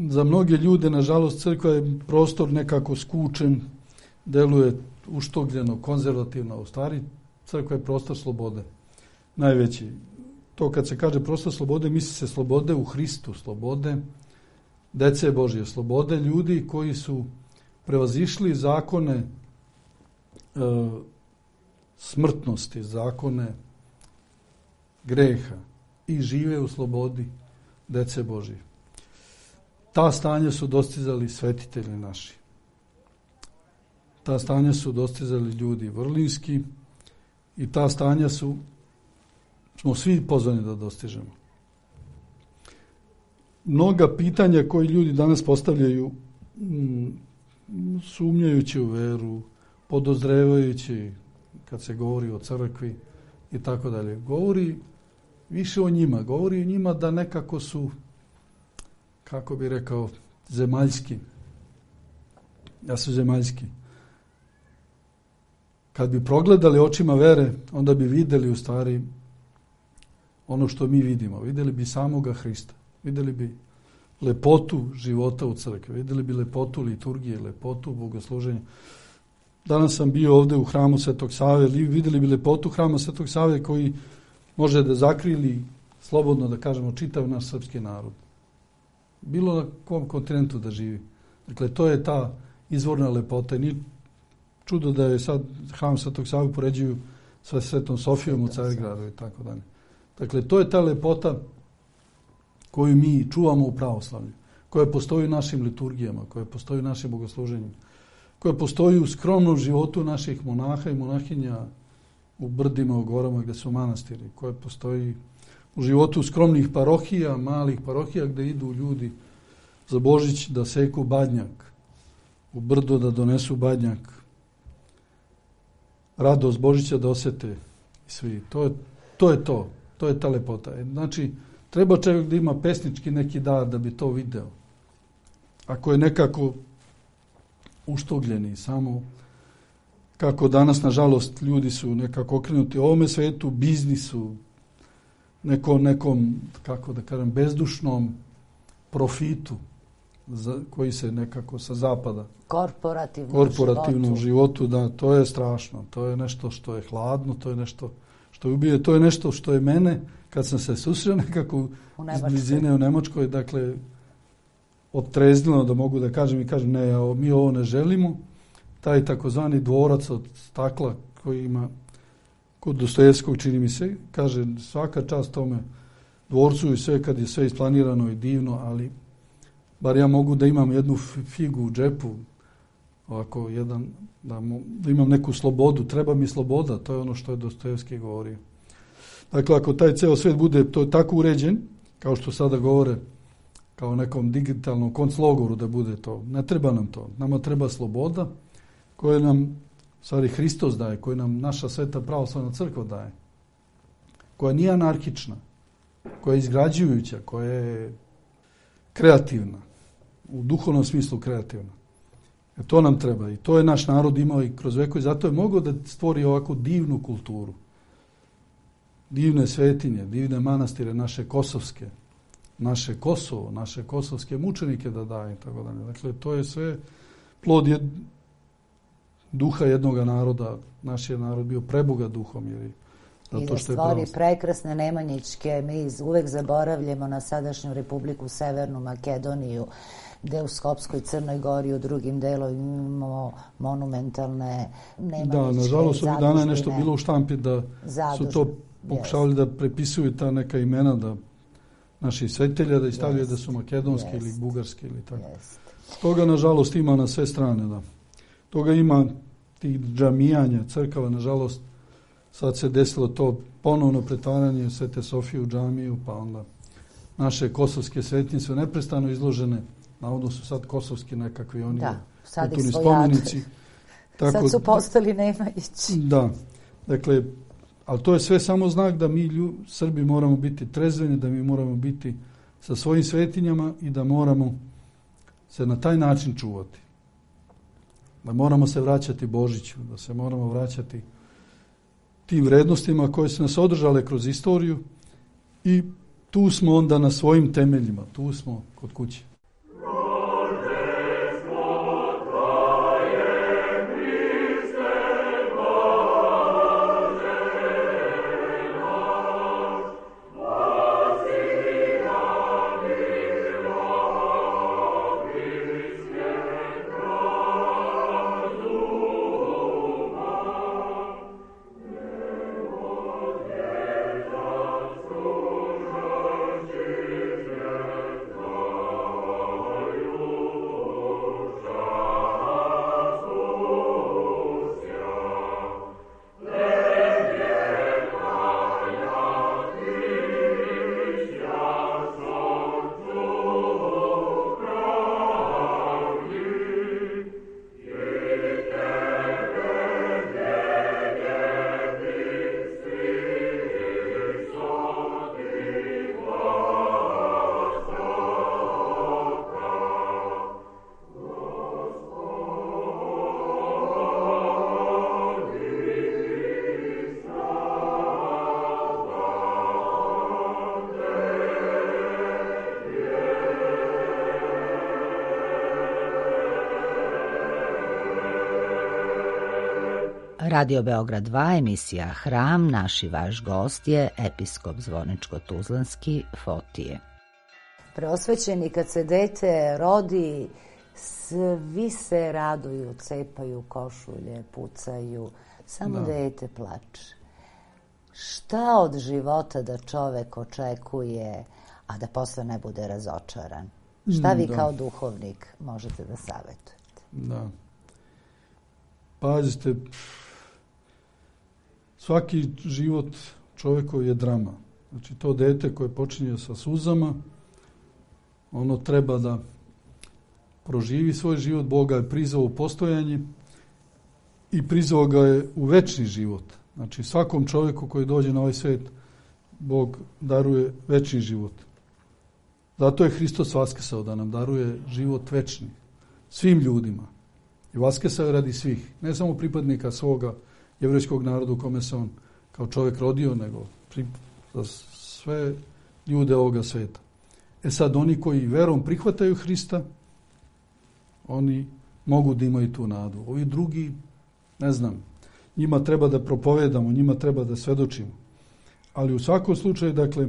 Za mnoge ljude, nažalost, crkva je prostor nekako skučen, deluje uštogljeno, konzervativno. U stvari, crkva je prostor slobode. Najveći. To kad se kaže prostor slobode, misli se slobode u Hristu, slobode dece Božje, slobode ljudi koji su prevazišli zakone smrtnosti, zakone greha i žive u slobodi dece Božje. Ta stanja su dostizali svetitelji naši. Ta stanja su dostizali ljudi vrlinski i ta stanja smo svi pozvani da dostižemo. Mnoga pitanja koje ljudi danas postavljaju, sumnjajući u veru, podozrevajući kad se govori o crkvi i tako dalje, govori više o njima. Govori o njima da nekako su, kako bi rekao, zemaljski. Da su zemaljski. Kad bi progledali očima vere, onda bi vidjeli u stvari ono što mi vidimo. Vidjeli bi samoga Hrista. Vidjeli bi lepotu života u crkvi. Vidjeli bi lepotu liturgije, lepotu bogosluženja. Danas sam bio ovdje u hramu Svetog Save. Vidjeli bi lepotu hrama Svetog Save koji može da zakrili, slobodno da kažemo, čitav naš srpski narod. Bilo na kom kontinentu da živi. Dakle, to je ta izvorna lepota. Nije čudo da je sad hram Svetog Save poređuju sa Svetom Sofijom u Carigradu i tako dalje. Dakle, to je ta lepota koju mi čuvamo u pravoslavlju, koja postoji u našim liturgijama, koja postoji u našim bogosluženjima, koja postoji u skromnom životu naših monaha i monahinja u brdima, u gorama gdje su manastiri, koja postoji u životu skromnih parohija, malih parohija gdje idu ljudi za Božić da seku badnjak, u brdo da donesu badnjak, radost Božića da osete svi. To je To je ta lepota. Znači, treba čovjek da ima pesnički neki dar da bi to video. Ako je nekako uštogljeni, samo kako danas, nažalost, ljudi su nekako okrenuti ovome svetu, biznisu, nekom, kako da kažem, bezdušnom profitu koji se nekako sa zapada. Korporativnom životu, da, to je strašno. To je nešto što je hladno, to je nešto što je ubije, to je nešto što je mene, kad sam se susreo nekako iz blizine u Nemačkoj, dakle, odtreznilo da mogu da kažem i kažem, ne, mi ovo ne želimo. Taj takozvani dvorac od stakla koji ima kod Dostojevskog, čini mi se, kaže svaka čast tome dvorcu i sve kad je sve isplanirano i divno, ali bar ja mogu da imam jednu figu u džepu, ovako da imam neku slobodu, treba mi sloboda, to je ono što je Dostojevski govorio. Dakle, ako taj ceo svet bude to tako uređen, kao što sada govore, kao nekom digitalnom konclogoru da bude to, ne treba nam to. Nama treba sloboda koju nam stvari Hristos daje, koju nam naša sveta pravoslavna crkva daje, koja nije anarhična, koja je izgrađujuća, koja je kreativna, u duhovnom smislu kreativna. To nam treba i to je naš narod imao i kroz vekove, zato je mogao da stvori ovako divnu kulturu, divne svetinje, divne manastire, naše kosovske, naše Kosovo, naše kosovske mučenike da daje i tako dalje. Dakle, to je sve plod duha jednog naroda. Naš je narod bio prebogat duhom. I da stvori prekrasne Nemanjićke, mi uvek zaboravljamo na sadašnju Republiku Severnu Makedoniju, gde u Skopskoj, Crnoj Gori, u drugim delovima imamo monumentalne Nemanjićke. Da, nažalost, ovih dana je nešto bilo u štampi da su to pokušavali da prepisuju ta neka imena da naših svetelja, da stavljaju da su makedonski ili bugarski ili tako. Toga, nažalost, ima na sve strane, da. Toga ima tih džamijanja, crkava, nažalost, sad se desilo to ponovno pretvaranje Svete Sofije u džamiju, pa onda naše kosovske svetinje su neprestano izložene, navodno su sad kosovski nekakvi oni kulturni spomenici. Sad su postali Nemanjići. Da, dakle, ali to je sve samo znak da mi Srbi moramo biti trezveni, da mi moramo biti sa svojim svetinjama i da moramo se na taj način čuvati. Da moramo se vraćati Božiću, da se moramo vraćati tim vrednostima koje su nas održale kroz istoriju i tu smo onda na svojim temeljima, tu smo kod kuće. Radio Beograd 2, emisija Hram, naš i vaš gost je episkop Zvorničko-Tuzlanski Fotije. Preosvećeni, kad se dete rodi, svi se raduju, cepaju košulje, pucaju, samo dete plače. Šta od života da čovek očekuje, a da posle ne bude razočaran? Šta vi kao duhovnik možete da savetujete? Da. Pazite, svaki život čovjekov je drama. Znači, to dete koje počinje sa suzama, ono treba da proživi svoj život. Bog ga je prizvao u postojanje i prizvao ga je u večni život. Znači, svakom čovjeku koji dođe na ovaj svijet Bog daruje večni život. Zato je Hristos vaskrsao da nam daruje život večni. Svim ljudima. I vaskrsao je radi svih. Ne samo pripadnika svoga jevrejskog naroda u kome se on kao čovjek rodio, nego za sve ljude ovoga sveta. Sad, oni koji verom prihvataju Hrista, oni mogu da imaju tu nadu. Ovi drugi, ne znam, njima treba da propovedamo, njima treba da svedočimo. Ali u svakom slučaju, dakle,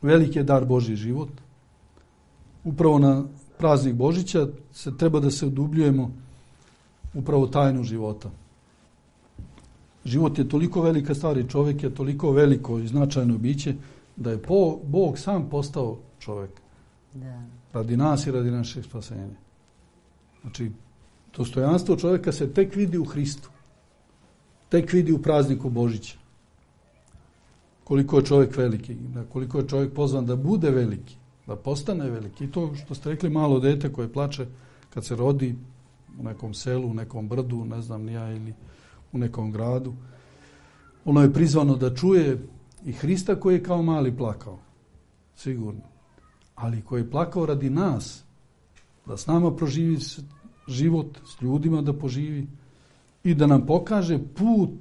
veliki je dar Božji život. Upravo na praznik Božića se treba da se udubljujemo upravo tajnu života. Život je toliko velika stvar i čovjek je toliko veliko i značajno biće da je Bog sam postao čovjek. Da. Radi nas i radi našeg spasenja. Znači, dostojanstvo čovjeka se tek vidi u Hristu. Tek vidi u prazniku Božića. Koliko je čovjek veliki, koliko je čovjek pozvan da bude veliki, da postane veliki. I to što ste rekli, malo dete koje plače kad se rodi u nekom selu, u nekom brdu, ne znam ni ja, ili u nekom gradu. Ono je prizvano da čuje i Hrista koji je kao mali plakao. Sigurno. Ali koji je plakao radi nas, da s nama proživi život, s ljudima da poživi i da nam pokaže put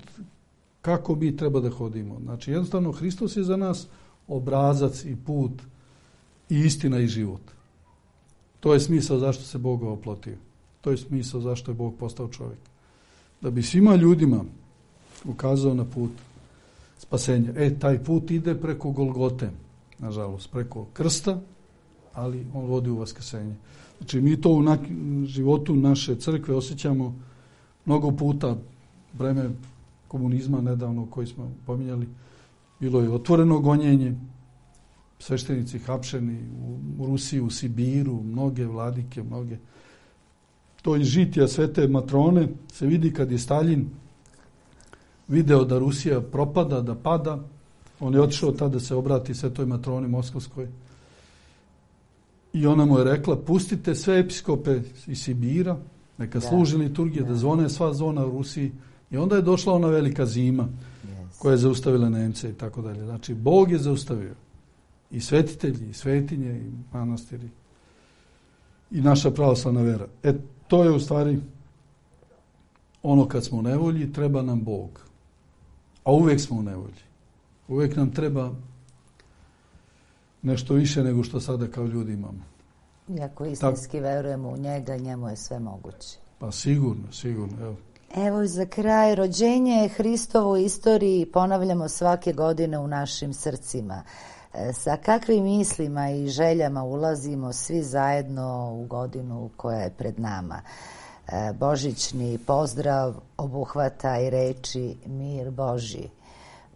kako mi treba da hodimo. Znači, jednostavno, Hristos je za nas obrazac i put i istina i život. To je smisao zašto se Bog oplotio. To je smisao zašto je Bog postao čovjek. Da bi svima ljudima ukazao na put spasenja. Taj put ide preko Golgote, nažalost, preko krsta, ali on vodi u vaskrsenje. Znači, mi to u životu naše crkve osjećamo mnogo puta. Vreme komunizma nedavno koji smo pominjali, bilo je otvoreno gonjenje, sveštenici hapšeni u Rusiji, u Sibiru, mnoge vladike, mnoge. To iz žitija svete matrone se vidi kad je Staljin video da Rusija propada, da pada. On je otišao tada da se obrati svetoj matroni moskovskoj. I ona mu je rekla, pustite sve episkope iz Sibira, neka služi liturgije, da zvone sva zvona u Rusiji. I onda je došla ona velika zima koja je zaustavila Nemce i tako dalje. Znači, Bog je zaustavio i svetitelji, i svetinje, i manastiri, i naša pravoslavna vera. To je u stvari ono kad smo u nevolji, treba nam Bog. A uvijek smo u nevolji. Uvijek nam treba nešto više nego što sada kao ljudi imamo. Iako istinski verujemo u njega, njemu je sve moguće. Pa sigurno, evo. Evo i za kraj, rođenje Hristovo u istoriji ponavljamo svake godine u našim srcima. Sa kakvim mislima i željama ulazimo svi zajedno u godinu koja je pred nama? Božićni pozdrav obuhvata i reči mir Božji.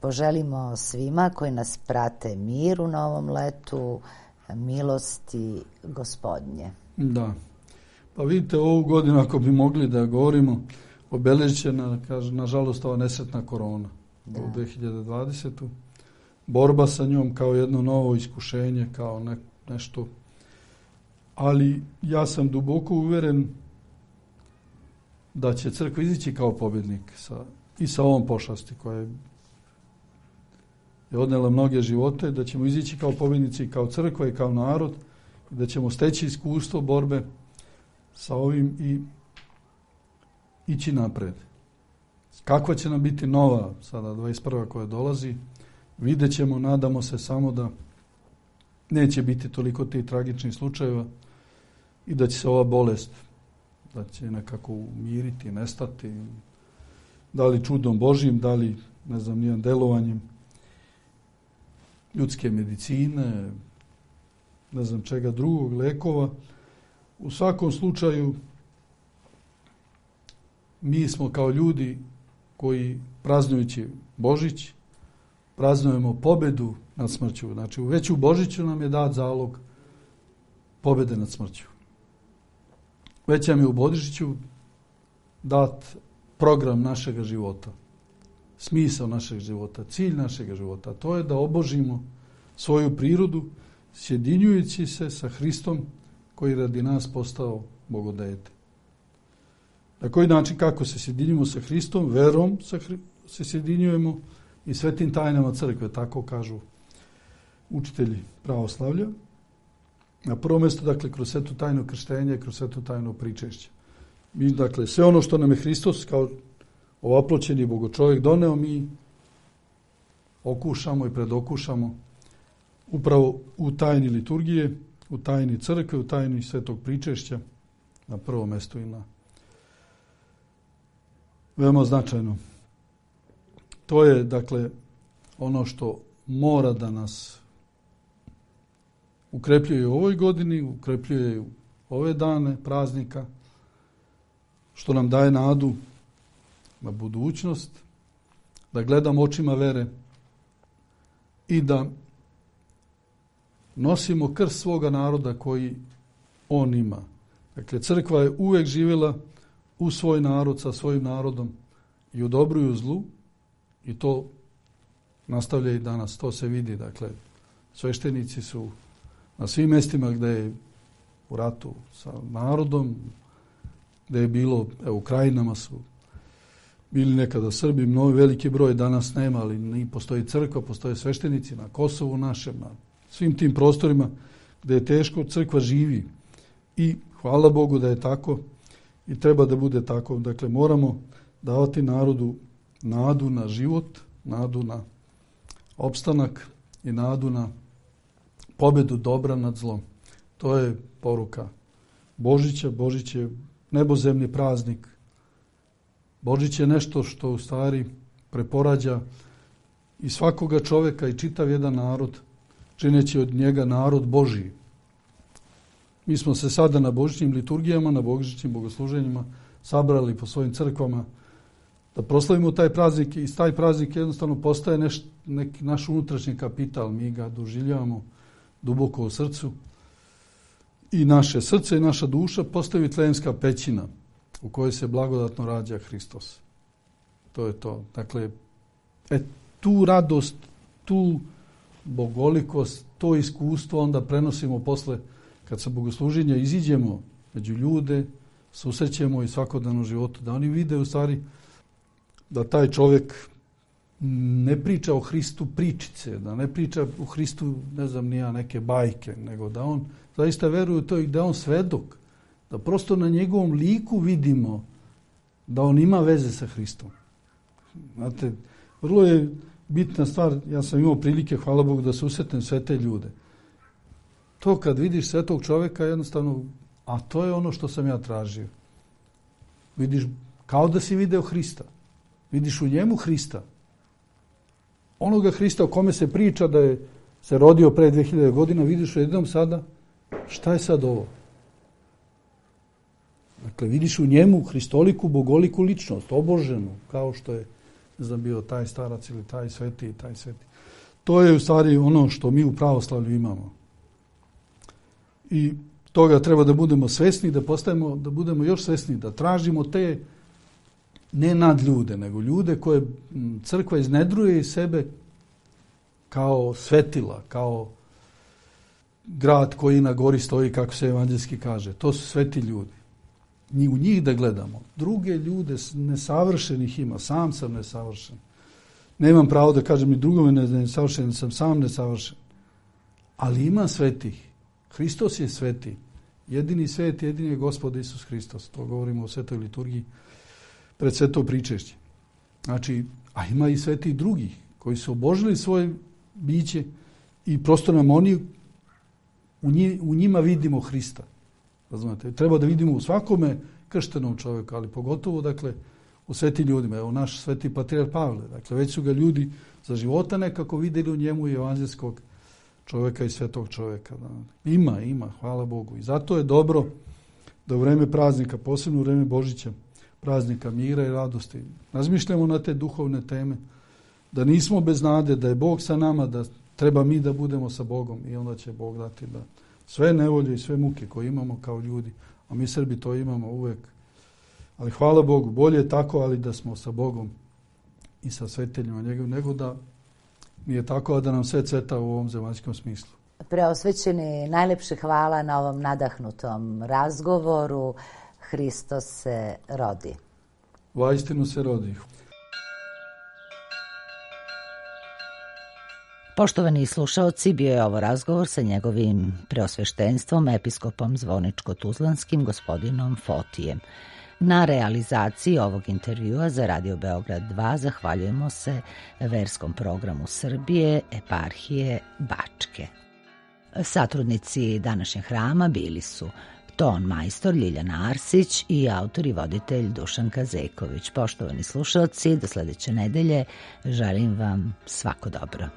Poželimo svima koji nas prate mir u novom letu, milosti Gospodnje. Da. Pa vidite, ovu godinu, ako bi mogli da govorimo, obeležena, nažalost, ova nesretna korona u 2020. Borba sa njom kao jedno novo iskušenje, kao nešto. Ali ja sam duboko uveren da će crkva izići kao pobjednik i sa ovom pošasti koja je odnela mnoge živote, da ćemo izići kao pobjednici i kao crkva i kao narod, da ćemo steći iskustvo borbe sa ovim i ići napred. Kakva će nam biti nova sada 21. koja dolazi, vidjet ćemo, nadamo se samo da neće biti toliko tih tragičnih slučajeva i da će se ova bolest, da će nekako umiriti, nestati, da li čudom Božjim, da li, ne znam, nijednim delovanjem ljudske medicine, ne znam čega drugog, lekova. U svakom slučaju mi smo kao ljudi koji praznujući Božić praznujemo pobedu nad smrću. Znači, već u Božiću nam je dat zalog pobede nad smrću. Već nam je u Božiću dat program našega života, smisao našeg života, cilj našeg života. To je da obožimo svoju prirodu sjedinjujući se sa Hristom koji radi nas postao Bogodete. Na koji način, kako se sjedinjujemo sa Hristom? Verom se sjedinjujemo i svetim tajnama crkve, tako kažu učitelji pravoslavlja. Na prvo mjesto, dakle, kroz svetu tajnu krštenja i kroz svetu tajnu pričešća. Mi, dakle, sve ono što nam je Hristos kao ovaploćeni Bogočovjek doneo, mi okušamo i predokušamo upravo u tajni liturgije, u tajni crkve, u tajni svetog pričešća, na prvom mjestu i na veoma značajno. To je, dakle, ono što mora da nas ukrepljuje u ovoj godini, ukrepljuje u ove dane praznika, što nam daje nadu na budućnost, da gledamo očima vere i da nosimo krst svoga naroda koji on ima. Dakle, crkva je uvijek živjela u svoj narod, sa svojim narodom i u dobru i u zlu, i to nastavlja i danas. To se vidi. Dakle, sveštenici su na svim mjestima gdje je u ratu sa narodom, gdje je bilo, u krajinama su bili nekada Srbi, mnogo veliki broj, danas nema, ali postoji crkva, postoje sveštenici na Kosovu našem, na svim tim prostorima gdje je teško, crkva živi. I hvala Bogu da je tako i treba da bude tako. Dakle, moramo davati narodu nadu na život, nadu na opstanak i nadu na pobjedu dobra nad zlom. To je poruka Božića. Božić je nebozemni praznik. Božić je nešto što u stvari preporađa i svakoga čovjeka i čitav jedan narod, čineći od njega narod Božiji. Mi smo se sada na božićnim liturgijama, na božićnim bogosluženjima sabrali po svojim crkvama da proslavimo taj praznik i taj praznik jednostavno postaje neki naš unutrašnji kapital. Mi ga doživljavamo duboko u srcu i naše srce i naša duša postaju vitleemska pećina u kojoj se blagodatno rađa Hristos. To je to. Dakle, tu radost, tu bogolikost, to iskustvo onda prenosimo posle kad sa bogosluženja iziđemo među ljude, susrećemo i svakodnevnom životu, da oni vide u stvari da taj čovjek ne priča o Hristu pričice, da ne priča o Hristu, ne znam ni ja, neke bajke, nego da on zaista veruje u to i da on svedok, da prosto na njegovom liku vidimo da on ima veze sa Hristom. Znate, vrlo je bitna stvar, ja sam imao prilike, hvala Bogu, da susretnem sve te ljude. To kad vidiš svetog čovjeka jednostavno, a to je ono što sam ja tražio. Vidiš kao da si video Hrista. Vidiš u njemu Hrista. Onoga Hrista o kome se priča da je se rodio pre 2000 godina, vidiš u jednom sada, šta je sad ovo? Dakle, vidiš u njemu hristoliku, bogoliku ličnost, oboženu, kao što je, ne znam, bio taj starac ili taj sveti. To je u stvari ono što mi u pravoslavlju imamo. I toga treba da budemo svesni, da budemo još svesni, da tražimo te ne nad ljude, nego ljude koje crkva iznedruje iz sebe kao svetila, kao grad koji na gori stoji, kako se evanđelski kaže. To su sveti ljudi. U njih da gledamo. Druge ljude nesavršenih ima. Sam sam nesavršen. Nemam pravo da kažem i drugome nesavršen, sam sam nesavršen. Ali ima svetih. Hristos je sveti. Jedini svet, jedini je Gospod Isus Hristos. To govorimo o svetoj liturgiji pred sveto pričešće. Znači, a ima i sveti drugih koji su obožili svoje biće i prosto nam oni u njima vidimo Hrista. Razumete? Treba da vidimo u svakome krštenom čovjeku, ali pogotovo, dakle, u sveti ljudima. Evo naš sveti patrijarh Pavle. Dakle, već su ga ljudi za života nekako vidjeli u njemu i evanđelskog čovjeka i svetog čovjeka. Da. Ima, hvala Bogu. I zato je dobro da u vreme praznika, posebno u vreme Božića, praznika mira i radosti, razmišljamo na te duhovne teme, da nismo bez nade, da je Bog sa nama, da treba mi da budemo sa Bogom i onda će Bog dati da sve nevolje i sve muke koje imamo kao ljudi, a mi Srbi to imamo uvijek. Ali hvala Bogu, bolje je tako, ali da smo sa Bogom i sa sveteljima njegovim, nego da nije tako, a da nam sve cveta u ovom zemaljskom smislu. Preosvećeni, najlepše hvala na ovom nadahnutom razgovoru. Hristos se rodi. Vaistinu se rodi. Poštovani slušaoci, bio je ovo razgovor sa njegovim preosveštenstvom, episkopom Zvoničko-Tuzlanskim, gospodinom Fotijem. Na realizaciji ovog intervjua za Radio Beograd 2 zahvaljujemo se verskom programu Srbije, eparhije Bačke. Satrudnici današnjeg hrama bili su ton majstor Ljiljana Arsić i autor i voditelj Dušan Kazeković. Poštovani slušalci, do sledeće nedelje želim vam svako dobro.